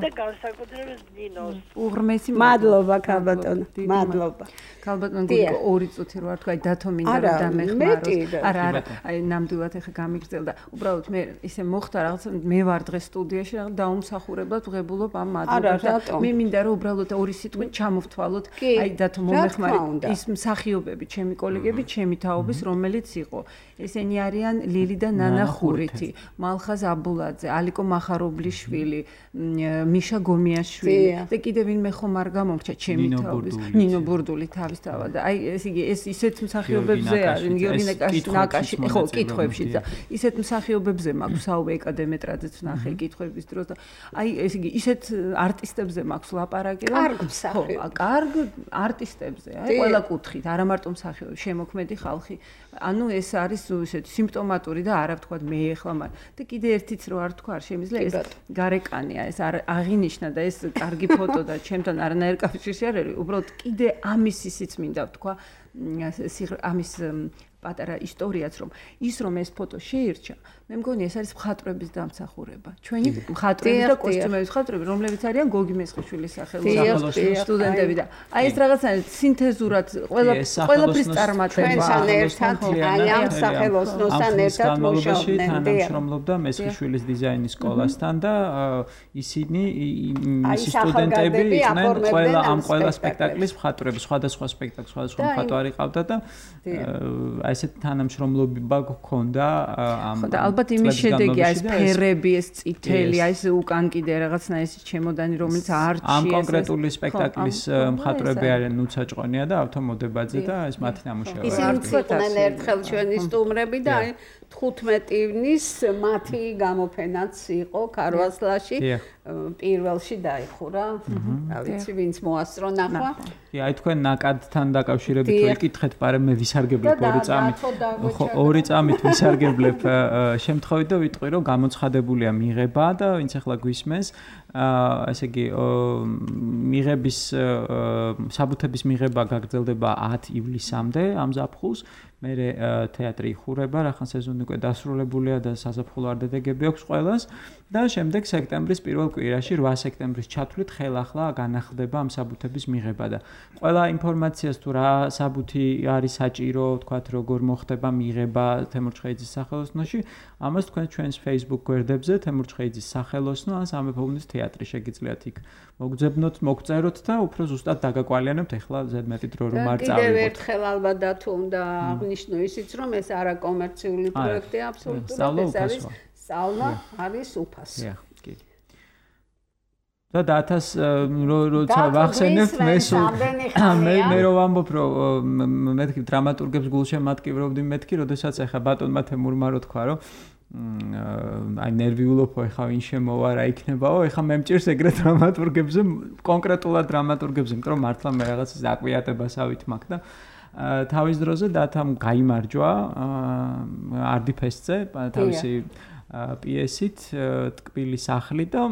[SPEAKER 8] და განსაკუთრებით ნინოს
[SPEAKER 5] უღრმესი
[SPEAKER 2] მადლობა ქალბატონო მადლობა
[SPEAKER 5] ქალბატონო გულიკო ორი წუთი რო არ თქვა დათო მინდა რომ დამეხმაროს არა აი ნამდვილად ეხა გამიგრძელდა უბრალოდ მე ისე მოხდა რაღაცა მე ვარ დღეს სტუდიაში რაღაც დაუმსახურებლად ვღებულობ ამ მადლობას და მე მინდა რომ უბრალოდ ორი სიტყვით ჩამოვთვალოთ აი დათო მომეხმარი ის მსახიობები ჩემი კოლეგები ჩემი თაობის რომელიც იყო ესენი არიან ლილი და ნანა ხურითი მალხაზ აბულაძე ალიკო მახარობლიშვილი მიშა გომიაშვილი და კიდე ვინმე ხომ არ გამომრჩა ჩემი თაობის ნინო ბურდული თავისთავად და აი ეს იგი ეს ისეთ მსახიობებზე არის გიორგი ნაკაში ხო კითხვებში და ისეთ მსახიობებზე მაქვს საუბე ეკადემეტრაძეც ნახე კითხვების დროს და აი ეს იგი ისეთ არტისტებზე მაქვს ლაპარაკი რომ კარგ არტისტებზე აი ყველა კუთხით არა მარტო მსახიობი შემოქმედი ხალხი ანუ ეს არის ისეთი სიმპტომატური და არა ვთქვათ მე ეხლა მაგრამ და კიდე ერთიც რო არ თქვა არ შემიძლია ეს გარეკანია ეს აღინიშნა და ეს კარგი ფოტო და ჩემთან არანაირ კავშირი არ არის უბრალოდ კიდე ამის ისიც მინდა ვთქვა ამის პატარა ისტორიაც რომ ის რომ ეს ფოტო შეირჩა მე მგონი ეს არის მხატვრების დამსახურება ჩვენი მხატვრები და კოსტიუმების მხატვრები რომლებიც არიან გოგი მესხიშვილის სახელობის სტუდენტები და აი ეს რაღაცა სინთეზურად ყველაფრის წარმატება
[SPEAKER 2] ჩვენთან ერთად აი ამ სახელოსნოსთან ერთად მუშაობდნენ
[SPEAKER 3] თანამშრომლობდა მესხიშვილის დიზაინის სკოლასთან და ისინი მისი სტუდენტები იყვნენ ყველა სპექტაკლის მხატვრები სხვადასხვა სპექტაკლს სხვადასხვა მხატვარი ყავდა და ესეთ თანამშრომლობა გქონდა ამ
[SPEAKER 5] ალბათ იმის შედეგი ეს ფერები ეს წითელი აი ეს უკან კიდე რაღაცნა ეს ჩემოდანი რომელიც არჩი
[SPEAKER 3] ამ კონკრეტული სპექტაკლის მხატვრები არიან ნუცა ჭყონია და ავთომოდებაძე და ეს მათი ნამუშევარი
[SPEAKER 2] ისინი იყვნენ ერთხელ ჩვენი სტუმრები და აი 15 ივნის მათი გამოფენაც იყო ქარვასლაში პირველში დაიხურა რა ვიცი ვინც მოასწრო ნახვა
[SPEAKER 3] აი თქვენ ნაკადთან დაკავშირებით რო იკითხეთ პარე მე ვისარგებლებ ორი წამით ვისარგებლებ შემთხვევით და ვიტყვი რომ გამოცხადებულია მიღება და ვინც ახლა გვისმენს ესე იგი მიღების საბუთების მიღება გაგრძელდება 10 ივლისამდე ამ ზაფხულს მე თეატრი იხურება რახან სეზონი უკვე დასრულებულია და საზაფხულო არდადეგები აქვს ყველას და შემდეგ სექტემბრის პირველ კვირაში 8 სექტემბრის ჩათვლით ხელახლა განახლდება ამ საბუთების მიღება და ყველა ინფორმაციას თუ რა საბუთი არის საჭირო თქვათ როგორ მოხდება მიღება თემურ ჩხეიძის სახელოსნოში ამას თქვენ ჩვენს Facebook გვერდებზე თემურ ჩხეიძის სახელოსნო ან სამეფო თეატრი შეგიძლიათ იქ მოგძებნოთ მოგწეროთ და უფრო ზუსტად დაგაკვალიანებთ ახლა ზედმეტი დრო რომ არ წავიღოთ
[SPEAKER 2] კიდევ ერთხელ ალბათ და თუ უნდა აღნიშნო ისიც რომ ეს არა კომერციული პროექტია აბსოლუტურად ეს არის სწავლა არის უფასო.
[SPEAKER 3] კი. და 1000 როცა ვახსენებ მე რო ვამბობ რომ მეთქი დრამატურგებს გულშემატკივრობდი მეთქი როდესაც ახლა ბატონმა თემურმა რო თქვა რომ აი ნერვიულობ ახლა ვინ შემოვა რა იქნებაო ახლა მე მჭირს ეგრე დრამატურგებზე კონკრეტულად დრამატურგებზე იმიტომ რომ მართლა მე რაღაც აკვიატებასავით მაქვს და თავის დროზე დათამ გაიმარჯვა არდიფესტზე თავისი პიესით ტკბილი სახლი და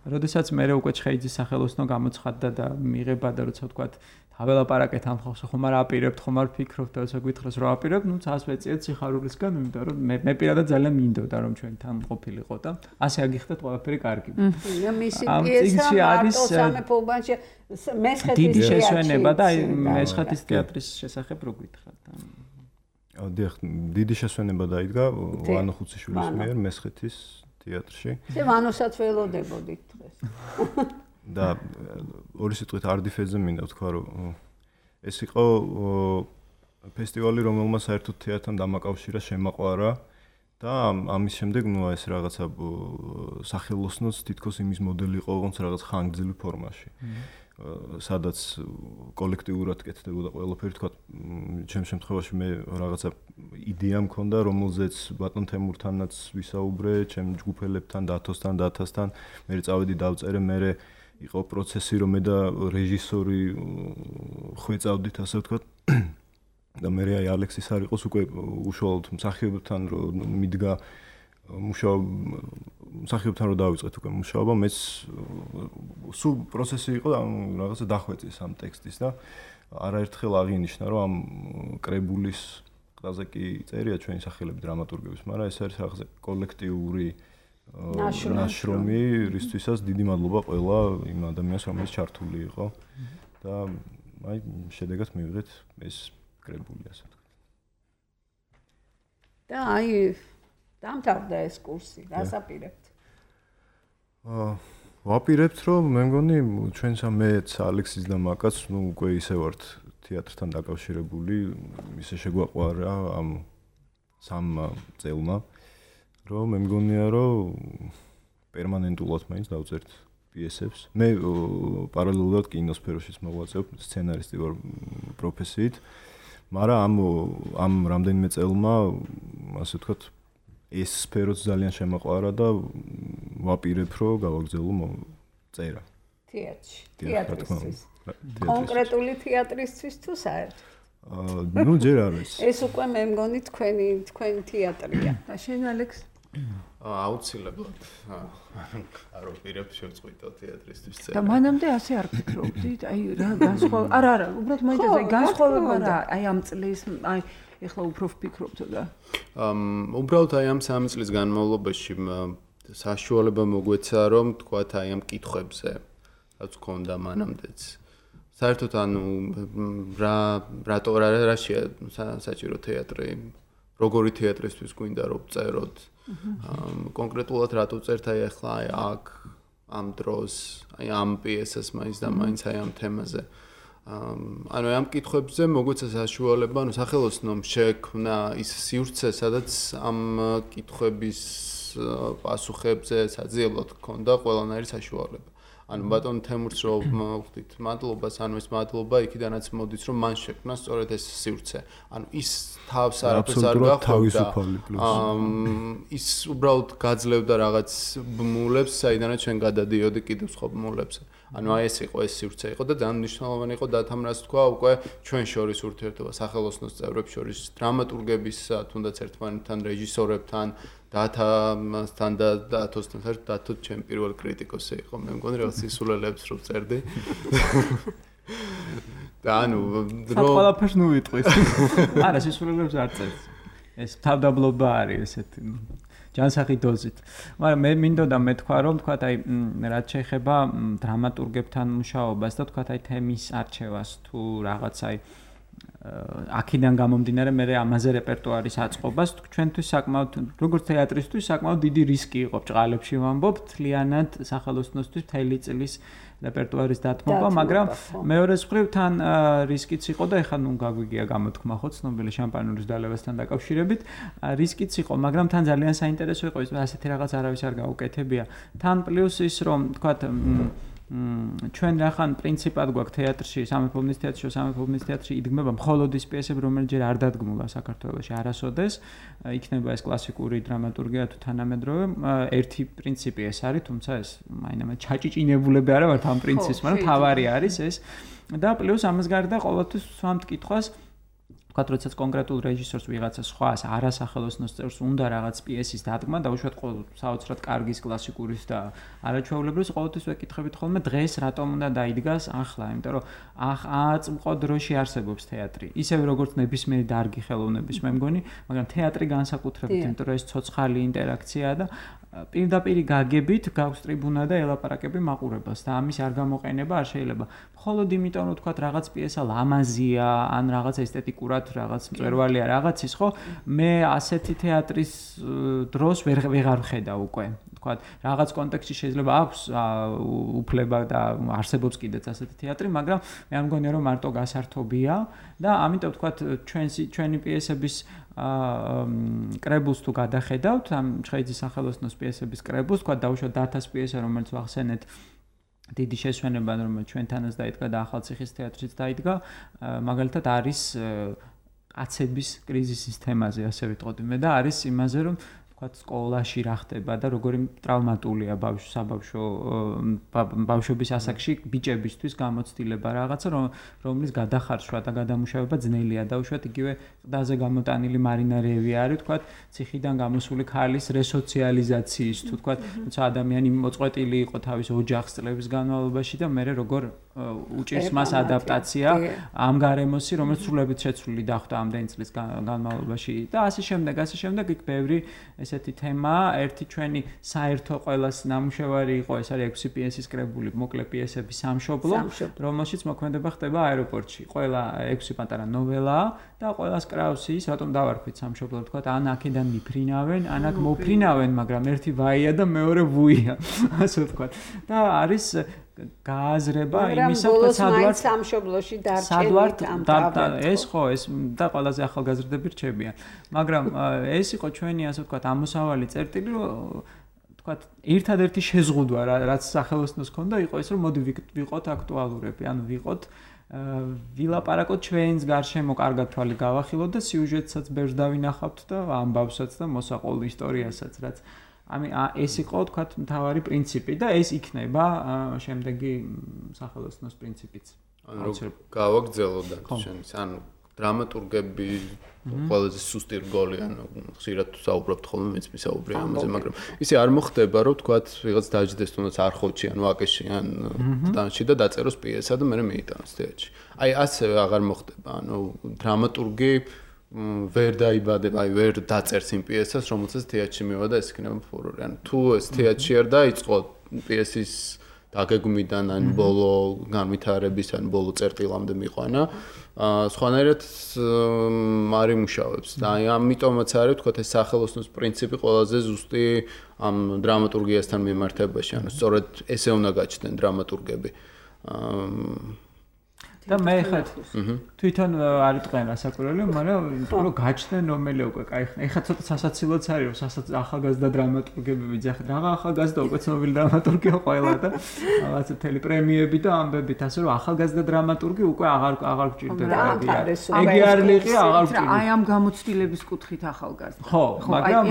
[SPEAKER 3] როდესაც მე უკვე ჩხეიძის სახელოსნო გამოცხადდა და მიღება და როცა ვთქვა თაველაპარაკეთ ამ ხალხს ხომ არ აპირებთ ხომ არ ფიქრობთ და როცა გითხრას რომ აპირებ ნუ წას ვეციეთ სიხარულისგან იმიტომ რომ მე პირადად ძალიან მინდოდა რომ ჩვენ თან ყოფილიყო და ასე აგიხდეთ ყველაფერი კარგი.
[SPEAKER 2] მისი პიესა არის სამეფოობაში მესხეთის
[SPEAKER 3] დიდი შესვენება და აი მესხეთის თეატრის შესახებ რო გითხრათ.
[SPEAKER 9] დიახ, დიდი შესვენება დაიდგა ვანო ხუციშვილის მიერ მესხეთის თეატრში.
[SPEAKER 2] ვანოსაც ველოდებოდით დღეს.
[SPEAKER 9] და ორი სიტყვით არდიფეზე მინდა ვთქვა რომ ეს იყო ფესტივალი რომელმაც საერთოდ თეატრთან დამაკავშირა შემაყვარა და ამის შემდეგ ნუ ეს რაღაცა სახელოსნოც თითქოს იმის მოდელი იყო როგორც რაღაც ხანგრძლივ ფორმაში სადაც კოლექტიურად კეთდებოდა ყველაფერი თქვა ჩემს შემთხვევაში მე რაღაცა იდეა მქონდა რომელზეც ბატონ თემურთანაც ვისაუბრე ჩემ ჯგუფელებთან დათოსთან მე წავედი დავწერე მე იყო პროცესი რომ მე და რეჟისორი ხვეწავდით ასე ვთქვათ და მე აი ალექსის არ იყოს უკვე უშუალოდ მსახიობთან რომ მიდგა მსახიობთან რომ დავიწყეთ უკვე მუშაობა მეც სულ პროცესი იყო და რაღაცა დახვეწეს ამ ტექსტის და არაერთხელ აღინიშნა რომ ამ კრებულის ყველაზე კი წერია ჩვენი სახელები დრამატურგების მაგრამ ეს არის რაღაცა კოლექტიური ნაშრომი რისთვისაც დიდი მადლობა ყველა იმ ადამიანს რომელიც ჩართული იყო და აი შედეგად მივიღეთ ეს კრებული ასე ვთქვათ
[SPEAKER 2] და აი დამთავრდა ეს კურსი რას აპირებთ
[SPEAKER 9] ვაპირებთ რომ მე მგონი ჩვენს ამეც ალექსის და მაკაც ნუ უკვე ისე ვართ თეატრთან დაკავშირებული ისე შეგვაყვარა ამ სამ წელმა რომ მე მგონია რომ პერმანენტულად მაინც დავწერთ პიესებს. მე პარალელურად კინოსფეროშიც მოღვაწეობ, სცენარისტი ვარ პროფესიით. მაგრამ ამ რამდენიმე წელმა, ასე ვთქვათ, ეს სფეროც ძალიან შემაყვარა და ვაპირებ რომ გავაგრძელო წერა.
[SPEAKER 2] თეატრისთვის. კონკრეტული თეატრისთვის თუ საერთოდ?
[SPEAKER 9] ნუ ჯერ არის.
[SPEAKER 2] ეს უკვე მე მგონი თქვენი თეატრია.
[SPEAKER 5] და შენ ალექს
[SPEAKER 6] აუცილებლად არ ვაპირებ შევწყვიტო თეატრისთვის წერა.
[SPEAKER 5] და მანამდე ასე არ ფიქრობდი, აი რა განსხვავება არა, უბრალოდ მაინტერესებს განსხვავება რა, აი ამ წლის, აი ეხლა უფრო ვფიქრობთო და
[SPEAKER 6] უბრალოდ აი ამ 3 წლის განმავლობაში საშუალება მოგვეცა რომ თქვათ აი ამ კითხვებზე რაც გქონდა მანამდეც საერთოდ ანუ რაშია საჭირო თეატრი როგორი თეატრისთვის გვინდა რომ წეროთ კონკრეტულად რატო წერთ აი ახლა აი აქ ამ დროს აი ამ პიესას მაინც და მაინც აი ამ თემაზე ანუ ამ კითხვებზე მოგვეცა საშუალება ანუ სახელოსნომ შექმნა ის სივრცე სადაც ამ კითხვების პასუხებზე საძიებლად გქონდა ყველანაირი საშუალება ანუ ბატონ თემურს რომ ვხვდით მადლობას ანუ ეს მადლობა იქიდანაც მოდის რომ მან შექმნა სწორედ ეს სივრცე ანუ ის თავს არაფერს არ გახვდა ის უბრალოდ გაძლევდა რაღაც ბმულებს საიდანაც ჩვენ გადადიოდი კიდევ სხვა ბმულებზე ანუ აი ეს იყო ეს სივრცე იყო და ძალიან მნიშვნელოვანი იყო დათამრას თქვა უკვე ჩვენ შორის ურთიერთობა სახელოსნოს წევრებს შორის დრამატურგების თუნდაც ერთმანეთთან რეჟისორებთან დათამასთან და დათოსთან საერთოდ დათო ჩემ პირველ კრიტიკოსი იყო მე მგონი რაღაც სისულელებს რო წერდი და ანუ დრო
[SPEAKER 3] ყველაფერს ნუ ვიტყვის არა სისულელებს არ წერს ეს თავდაბლობა არის ესეთი ჯანსაღი დოზით მაგრამ მე მინდოდა მეთქვა რომ თქვა აი რაც შეეხება დრამატურგებთან მუშაობას და თქვა აი თემის არჩევას თუ რაღაც აი აქედან გამომდინარე მე ამაზე რეპერტუარის აწყობას ჩვენთვის საკმაოდ როგორც თეატრისთვის საკმაოდ დიდი რისკი იყო ბჭყალებში ვამბობ თლიანად სახელოსნოსთვის მთელი წლის რეპერტუარის დათმობა, მაგრამ მეორე მხრივ თან რისკიც იყო და ეხლა ნუ გაგვიგია გამოთქმა ხო ცნობილი შამპანურის დალევასთან დაკავშირებით, რისკიც იყო, მაგრამ თან ძალიან საინტერესო იყო ის ასეთი რაღაც არავის არ გაუკეთებია. თან პლუს ის რომ თქვათ ჩვენ რახან პრინციპად გვაქვს თეატრში, სამეფო თეატრში იდგმება მხოლოდ ის პიესები, რომელიც ჯერ არ დადგმულა საქართველოში არასოდეს, იქნება ეს კლასიკური დრამატურგია თუ თანამედროვე, ერთი პრინციპი ეს არის, თუმცა ეს მაინც ჩაჭიჭინებულები არა ვართ ამ პრინციპს, მაგრამ თავარი არის ეს და პლუს ამას გარდა ყოველთვის ვსვამთ კითხვას ვთქვათ, როდესაც კონკრეტულ რეჟისორს ვიღაცა სხვას არასახელოსნოს წევრს უნდა რაღაც პიესის დადგმა და უშუალოდ საოცრად კარგის კლასიკურის და არაჩვეულებრივის ყოველთვის ვეკითხებით ხოლმე დღეს რატომ უნდა დაიდგას ახლა, იმიტომ რომ აწმყო დროში არსებობს თეატრი. ისევე როგორც ნებისმიერი დარგი ხელოვნების მე მგონი, მაგრამ თეატრი განსაკუთრებით, იმიტომ რომ ეს ცოცხალი ინტერაქციაა და პირდაპირ გაგებით გაქვს ტრიბუნა და ელაპარაკები მაყურებელს და ამის არ გამოყენება არ შეიძლება. მხოლოდ იმიტომ რომ თქვათ რაღაც პიესა ლამაზია, ან რაღაც ესთეტიკურად რაღაც მწვერვალია რაღაცის, ხო? მე ასეთი თეატრის დროს ვეღარ ვხედავ უკვე. თქვათ, რაღაც კონტექსტში შეიძლება აქვს უფლება და არსებობს კიდეც ასეთი თეატრი, მაგრამ მე არ მგონია რომ მარტო გასართობია და ამიტომ თქვათ ჩვენი პიესების კრებულს თუ გადახედავთ, ამ ჩხეიძის სახელოსნოს პიესების კრებულს, თქვა დაუშვათ დათას პიესა, რომელიც ვახსენეთ დიდი შესვენება, რომელიც ჩვენთანაც დაიდგა და ახალციხის თეატრშიც დაიდგა, მაგალითად არის აცების კრიზისის თემაზე, ასე ვიტყოდი მე და არის იმაზე, რომ თქვათ სკოლაში რა ხდება და როგორი ტრავმატულია ბავშვობის ასაკში ბიჭებისთვის გამოცდილება რაღაცა, რომლის გადახარშვა და გადამუშავება ძნელია და უშუალოდ იგივე ყდაზე გამოტანილი მარინა რევი არის, თქვათ ციხიდან გამოსული ქალის რესოციალიზაციის თუ თქვათ, თუმცა ადამიანი მოწყვეტილი იყო თავის ოჯახს წლების განმავლობაში და მე როგორ უჭირს მას ადაპტაცია ამ გარემოსი, რომელიც სრულებით შეცვლილი დახვდა ამდენი წლის განმავლობაში და ასე შემდეგ იქ ბევრი ესეთი თემა, ერთი ჩვენი საერთო ყველას ნამუშევარი იყო, ეს არის 6 პიესის კრებული, მოკლე პიესების სამშობლო, რომელშიც მოქმედება ხდება აეროპორტში. ყველა 6 პატარა ნოველაა და ყველას კრავს ის, რატომ დავარქვით სამშობლო, თქვათ, ან აქედან მიფრინავენ, ან აქ მოფრინავენ, მაგრამ ერთი ვაია და მეორე ვუია, ასე ვთქვათ. და არის გააზრება იმისა, რომ სადვარ
[SPEAKER 2] სამშობლოში დარჩენით ამ
[SPEAKER 3] ეს ხო ეს და ყველაზე ახალგაზრდები რჩებიან. მაგრამ ეს იყო ჩვენი ასე ვთქვათ ამოსავალი წერტილი, რომ ვთქვათ ერთადერთი შეზღუდვა რაც სახელოსნოს ჰქონდა იყო ეს, რომ მოდი ვიყოთ აქტუალურები, ანუ ვიყოთ ვილაპარაკოთ ჩვენს გარშემო კარგად თვალი გავახილოთ და სიუჟეტსაც ბევრს დავინახავთ და ამბავსაც და მოსაყოლ ისტორიასაც, რაც ეს იყო თქვათ მთავარი პრინციპი და ეს იქნება შემდეგი სახელოსნოს პრინციპიც.
[SPEAKER 6] ანუ გავაგრძელოთ ჩვენს ანუ დრამატურგები ყველაზე სუსტი რგოლი, ანუ ხშირად საუბრობთ ხოლმე მეც მისაუბრია ამაზე, მაგრამ ისე არ მოხდება, რომ თქვათ ვიღაც დაჯდეს თუნდაც არხოვში ან ვაკეში ან დანში და დაწეროს პიესა და მე მეიტანოს თეატრში. აი ასევე აღარ მოხდება, ანუ დრამატურგი ვერ დაიბადება, აი ვერ დაწერს იმ პიესას, რომელსაც თეატრში მივა და ეს იქნება ფურორი. ანუ თუ ეს თეატრში არ დაიწყო პიესის დაგეგმვიდან ან ბოლო განვითარების ან ბოლო წერტილამდე მიყვანა, სხვანაირად არ იმუშავებს. და აი ამიტომაც არის თქვათ ეს სახელოსნოს პრინციპი ყველაზე ზუსტი ამ დრამატურგიასთან მიმართებაში. ანუ სწორედ ესე უნდა გაჩნდნენ დრამატურგები.
[SPEAKER 3] და მე ხა თვითონ არ იტყვენ რასაკვირველია, მაგრამ რომ გაჩნდნენ რომელი უკვე კაი ხნა. ეხლა ცოტა სასაცილოც არის, რომ ახალგაზრდა დრამატურგები ვიძახეთ. რა ახალგაზრდა უკვე ცნობილი დრამატურგია ყველა და რაღაცა მთელი პრემიები და ამბებით, ასე რომ ახალგაზრდა დრამატურგი უკვე აღარ გჭირდება. ეგი არ ლიყი, აღარ გჭირდება.
[SPEAKER 5] აი ამ გამოცდილების კუთხით ახალგაზრდა.
[SPEAKER 3] ხო, მაგრამ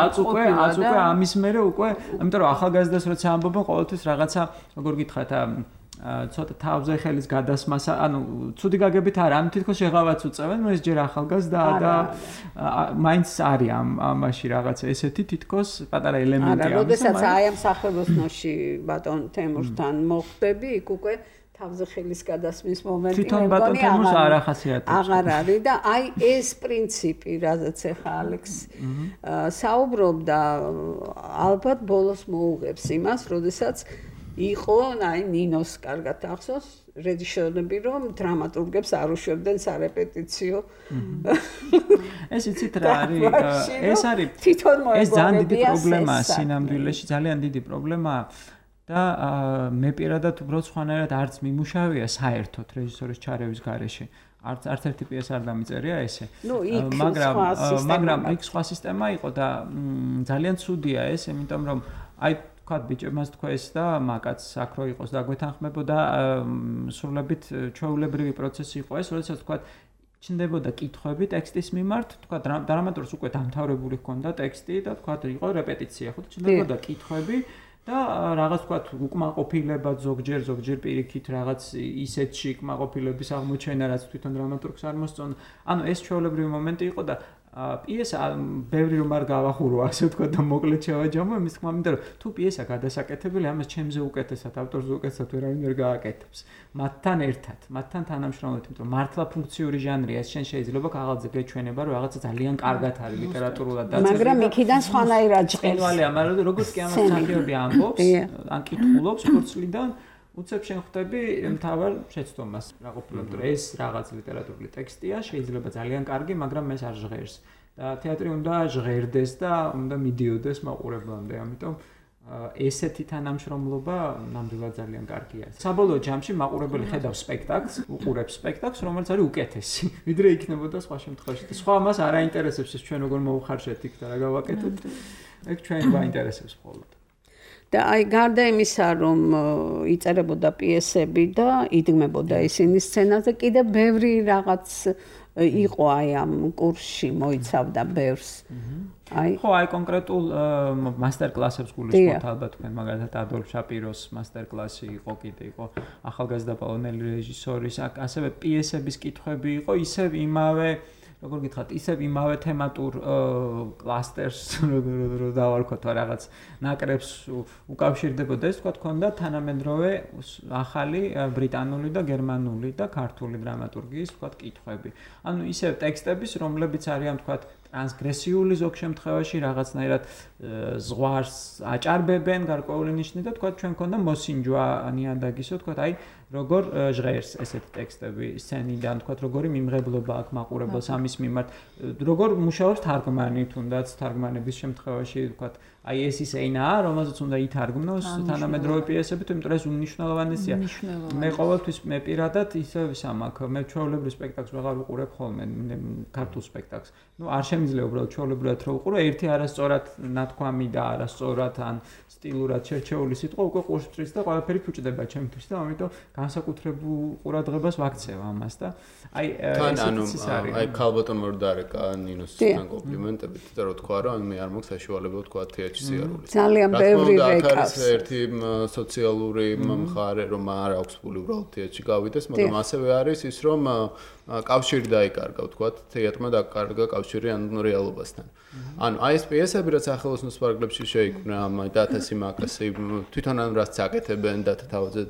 [SPEAKER 3] აც უკვე ამის მერე უკვე, იმიტომ რომ ახალგაზრდას როცა ამბობენ, ყოველთვის რაღაცა როგორ გითხრათ ცოტა თავზე ხელის გადასმას, ანუ ცუდი გაგებით არა, ამ თითქოს შეღავაც უწევენ, ეს ჯერ ახალგაზრდაა და მაინც არის ამაში რაღაცა ესეთი თითქოს პატარა ელემენტი
[SPEAKER 2] ამისა. როდესაც აი ამ სახელოსნოში ბატონ თემურთან მოხდები, იქ უკვე თავზე ხელის გადასმის მომენტი
[SPEAKER 3] თვითონ ბატონ თემურს არ ახასიათებს.
[SPEAKER 2] აღარ არის და აი ეს პრინციპი, რაზეც ახლა ალექს საუბრობდა, ალბათ ბოლოს მოუღებს იმას, როდესაც იყო, აი ნინოს კარგად ახსოვს, რეჟისორები რომ დრამატურგებს არ უშვებდნენ სარეპეტიციო.
[SPEAKER 3] ეს იცით რა არის? ეს არის
[SPEAKER 2] თვითონ
[SPEAKER 3] ეს ძალიან დიდი
[SPEAKER 2] მოეგვარებია
[SPEAKER 3] პრობლემაა სინამდვილეში, ძალიან დიდი პრობლემაა და მე პირადად უბრალოდ სხვანაირად არც მიმუშავია საერთოდ რეჟისორის ჩარევის გარეშე. არც ერთი პიესა არ დამიწერია ესე. მაგრამ იქ სხვა სისტემა იყო და ძალიან ცუდია ეს, იმიტომ რომ აი ვთქვათ ბიჭებმაც თქვეს და მაკაც აქ რო იყოს და გვეთანხმებოდა სრულებით ჩვეულებრივი პროცესი იყო ეს, როდესაც ვთქვათ ჩნდებოდა კითხვები ტექსტის მიმართ, ვთქვათ დრამატურგს უკვე დამთავრებული ჰქონდა ტექსტი და ვთქვათ იყო რეპეტიცია, ხო ჩნდებოდა კითხვები და რაღაც ვთქვათ უკმაყოფილება ზოგჯერ პირიქით რაღაც ისეთში უკმაყოფილების აღმოჩენა, რაც თვითონ დრამატურგს არ მოსწონდა. ანუ ეს ჩვეულებრივი მომენტი იყო და პიესა ბევრი რომ არ გავახურო, ასე ვთქვათ და მოკლედ შევაჯამო, იმის თქმა მინდა რომ თუ პიესა გადასაკეთებელი, ამას ჩემზე უკეთესად, ავტორზე უკეთესად ვერავინ ვერ გააკეთებს. მათთან ერთად, მათთან თანამშრომლობით, იმიტომ რომ მართლა ფუნქციური ჟანრია, ეს შენ შეიძლება ქაღალდზე გეჩვენება, რომ რაღაცა ძალიან კარგად არის ლიტერატურულად დაწესებული.
[SPEAKER 2] მაგრამ იქიდან სხვანაირად ჭყელს.
[SPEAKER 3] ნვალია, მაგრამ როგორც კი ამას სახიობი ამბობს, ან კითხულობს ხორცლიდან უცებ შენ ხვდები მთავარ შეცდომას რა ყოფილა, რომ ეს რაღაც ლიტერატურული ტექსტია, შეიძლება ძალიან კარგი, მაგრამ ეს არ ჟღერს. და თეატრი უნდა ჟღერდეს და უნდა მიდიოდეს მაყურებლამდე, ამიტომ ესეთი თანამშრომლობა ნამდვილად ძალიან კარგია. საბოლოო ჯამში მაყურებელი ხედავს სპექტაკლს, უყურებს სპექტაკლს, რომელიც არის უკეთესი, ვიდრე იქნებოდა სხვა შემთხვევაში. და სხვა მას არ აინტერესებს ეს ჩვენ როგორ მოვხარშეთ იქ და რა გავაკეთოთ. ეგ ჩვენ გვაინტერესებს მხოლოდ.
[SPEAKER 2] და აი გარდა იმისა, რომ იწერებოდა პიესები და იდგმებოდა ისინი სცენაზე, კიდე ბევრი რაღაც იყო აი ამ კურსში მოიცავდა ბევრს.
[SPEAKER 3] ხო, აი კონკრეტულ მასტერკლასებს გულისხმობთ ალბათ თქვენ, მაგალითად ადოლფ შაპიროს მასტერკლასი იყო, კიდე იყო ახალგაზრდა პოლონელი რეჟისორის, ასევე პიესების კითხვები იყო, ისევ იმავე როგორ გითხრათ, ისევ იმავე თემატურ კლასტერს რო დავარქვათ რაღაც ნაკრებს უკავშირდებოდა ეს, თქვა ქონდა თანამედროვე ახალი ბრიტანული და გერმანული და ქართული დრამატურგიის, თქვა კითხვები. ანუ ისევ ტექსტების, რომლებიც არიან, თქვა ტრანსგრესიული ზოგ შემთხვევაში რაღაცნაირად ზღვარს აჭარბებენ გარკვეული ნიშნით და თქვა ჩვენ ქონდა მოსინჯვა ნიადაგისო, თქვა აი როგორ ჟღერს ესეთი ტექსტები სცენიდან, თქვა როგორი მიმღებლობა აქვს მაყურებელს ამის მიმართ, როგორ მუშაობს თარგმანი, თუნდაც თარგმანების შემთხვევაში, თქვა აი ეს ის ენაა, რომელზეც უნდა ითარგმნოს თანამედროვე პიესები, იმიტომ რომ ეს უნიშნელოვანესია. მე ყოველთვის მე პირადად ისევ სამაქ, მე ჩვეულებრივ სპექტაკლს ვეღარ ვუყურებ ხოლმე, ქართულ სპექტაკლს. ნუ არ შემიძლია უბრალოდ ჩვეულებრივად რო ვუყურო, ერთი არასწორად ნათქვამი და არასწორად ან სტილურად შერჩეული სიტყვა უკვე ყურსწრის და ყველაფერი ფუჭდება ჩემთვის და ამიტომ განსაკუთრებულ ყურადღებას ვაქცევ ამას და აი
[SPEAKER 6] აი ქალბატონ მორდარეკა ნინოსთან კომპლიმენტებით და რო თქვა რომ მე არ მაქვს საშუალება თქვა თეატრში სიარული.
[SPEAKER 2] ძალიან ბევრი რეკავს.
[SPEAKER 6] ერთი სოციალური მხარე რომ არ აქვს ფული უბრალოდ თეატრში გავიდეს, მაგრამ ასევე არის ის რომ კავშირი დაიკარგა, თქვა თეატრმა დაკარგა კავშირი ან რეალობასთან. ანუ აი ეს პიესები რაც სახელოსნოს პარკლებში შეიქმნა, ამ დათასი მაკასი თვითონ ან რაც აკეთებენ დათა თავზე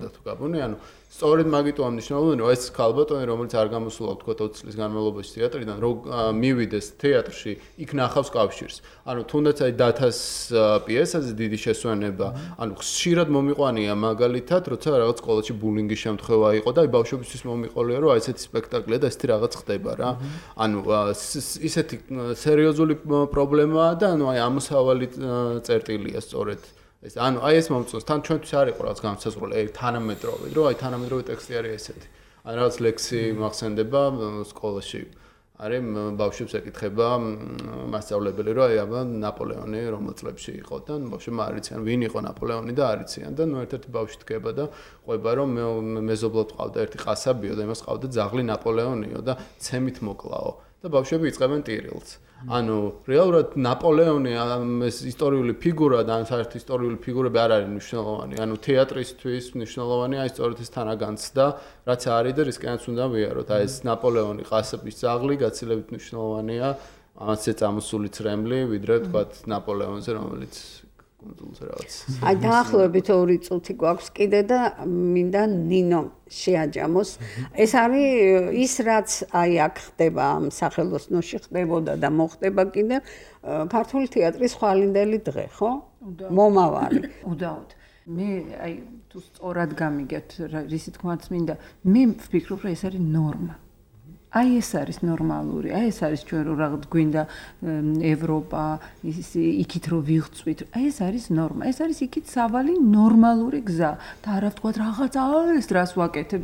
[SPEAKER 6] და თუ გაბუნე, ანუ სწორედ მაგიტოა მნიშვნელოვანი, რომ ეს ქალბატონი, რომელიც არ გამოსულა თქვა 20 წლის განმავლობაში თეატრიდან, რომ მივიდეს თეატრში, იქ ნახავს კავშირს. ანუ თუნდაც აი დათას პიესაზე დიდი შესვენება, ანუ ხშირად მომიყვანია მაგალითად, როცა რაღაც სკოლაში ბულინგის შემთხვევა იყო და აი ბავშვებისთვის მომიყოლია, რომ აი ესეთი სპექტაკლია და ესეთი რაღაც ხდება რა. ანუ ისეთი სერიოზული პრობლემაა და ანუ აი ამოსავალი წერტილია სწორედ ეს ანუ აი ეს მომწონს თან ჩვენთვის არ იყო რაღაც განსაზღვრული აი თანამედროვე რომ აი თანამედროვე ტექსტი არის ესეთი ან რაღაც ლექსი მახსენდება სკოლაში არის ბავშვებს ეკითხება მასწავლებელი რომ აი აბა ნაპოლეონი რომელ წლებში იყო და ბავშვებმა არ იციან ვინ იყო ნაპოლეონი და არ იციან და ნუ ერთ-ერთი ბავშვი დგება და ყვება რომ მეზობლად ყავდა ერთი ყასაბიო და იმას ყავდა ძაღლი ნაპოლეონიო და ცემით მოკლაო და ბავშვები იწყებენ ტირილს. ანუ რეალურად ნაპოლეონი ეს ისტორიული ფიგურა და საერთოდ ისტორიული ფიგურები არ არის მნიშვნელოვანი. ანუ თეატრისთვის მნიშვნელოვანია ის სწორედ ეს თანაგანცდა, რაც არის და რისკენაც უნდა ვიაროთ. აი ეს ნაპოლეონი ყასაბის ძაღლი გაცილებით მნიშვნელოვანია, ამაზე წამოსული ცრემლი, ვიდრე თქვათ ნაპოლეონზე, რომელიც
[SPEAKER 2] აი დაახლოებით 2 წუთი გვაქვს კიდე და მინდა ნინო შეაჯამოს. ეს არის ის რაც აი აქ ხდება ამ სახელოსნოში ხდებოდა და მოხდება კიდე ქართული თეატრის ხვალინდელი დღე, ხო? მომავალი.
[SPEAKER 5] უდაოდ. მე აი თუ სწორად გამიგეთ რისი თქმაც მინდა მე ვფიქრობ რომ ეს არის ნორმა აი ეს არის ნორმალური აი ეს არის ჩვენ რომ რაღაც გვინდა ევროპა ის იქით რომ ვიღწვით აი ეს არის ნორმა ეს არის იქით სავალი ნორმალური გზა და არა ვთქვათ რაღაც ეს დრას ვაკეთებ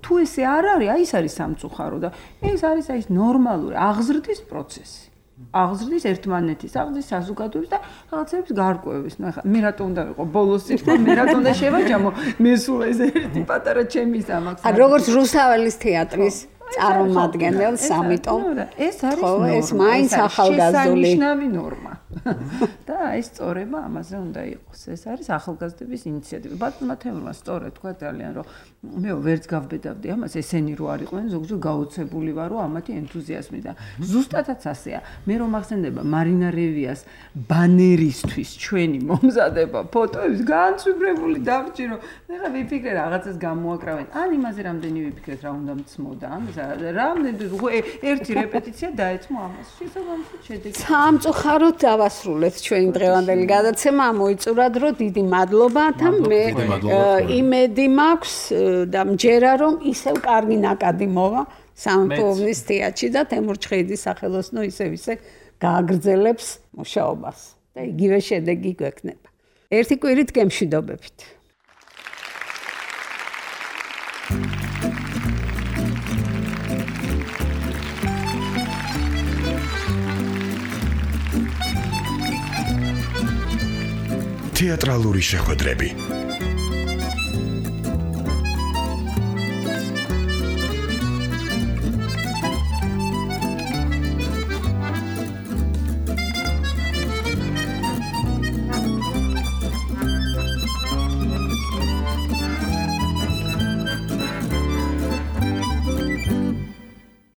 [SPEAKER 5] თუ ესე არ არის აი ეს არის სამწუხარო და ეს არის აი ეს ნორმალური აღზრდის პროცესი აღზრდის ერთმანეთის აღზრდის საზოგადოების და რაღაცების გარკვევის. ნახე, მე რატომ უნდა ვიყო ბოლოს სიტყვა, მე რატომ უნდა შევაჯამო, მე სულ ეს ერთი პატარა ჩემი სამახსოვრო.
[SPEAKER 2] როგორც რუსთაველის თეატრის წარმომადგენელს, ამიტომ
[SPEAKER 5] ეს არის ნორმა.
[SPEAKER 2] ეს მაინც ახალგაზრდული
[SPEAKER 5] შესანიშნავი ნორმა. და ეს სწორება ამაზე უნდა იყოს. ეს არის ახალგაზრდების ინიციატივა. ბატონმა თემურმა სწორად თქვა ძალიან რომ მე ვერც გავბედავდი ამას, ესენი რო არ იყვნენ, ზოგჯერ გაოცებული ვარ რომ ამათი ენთუზიაზმი და ზუსტადაც ასეა. მე რომ ახსენდება მარინა რევიას ბანერისთვის ჩვენი მომზადება ფოტოების განცვიბრებული დავჭი რომ ეხლა ვიფიქრე რაღაცას გამოაკრავენ. ან იმაზე რამდენი ვიფიქრეთ რა უნდა მცმოდა ამას რამდენი ერთი რეპეტიცია დაეცმო ამას. შესაბამისად შედეგი
[SPEAKER 2] სამწუხაროდ დავასრულეთ ჩვენი დღევანდელი გადაცემა. მოიწურათ რომ დიდი მადლობა და მე იმედი მაქვს და მჯერა რომ ისევ კარგი ნაკადი მოვა სამეფოობის თეატრში და თემურ ჩხეიძის სახელოსნო ისე გააგრძელებს მუშაობას და იგივე შედეგი გვექნება. ერთი კვირით გემშვიდობებით.
[SPEAKER 1] თეატრალური შეხვედრები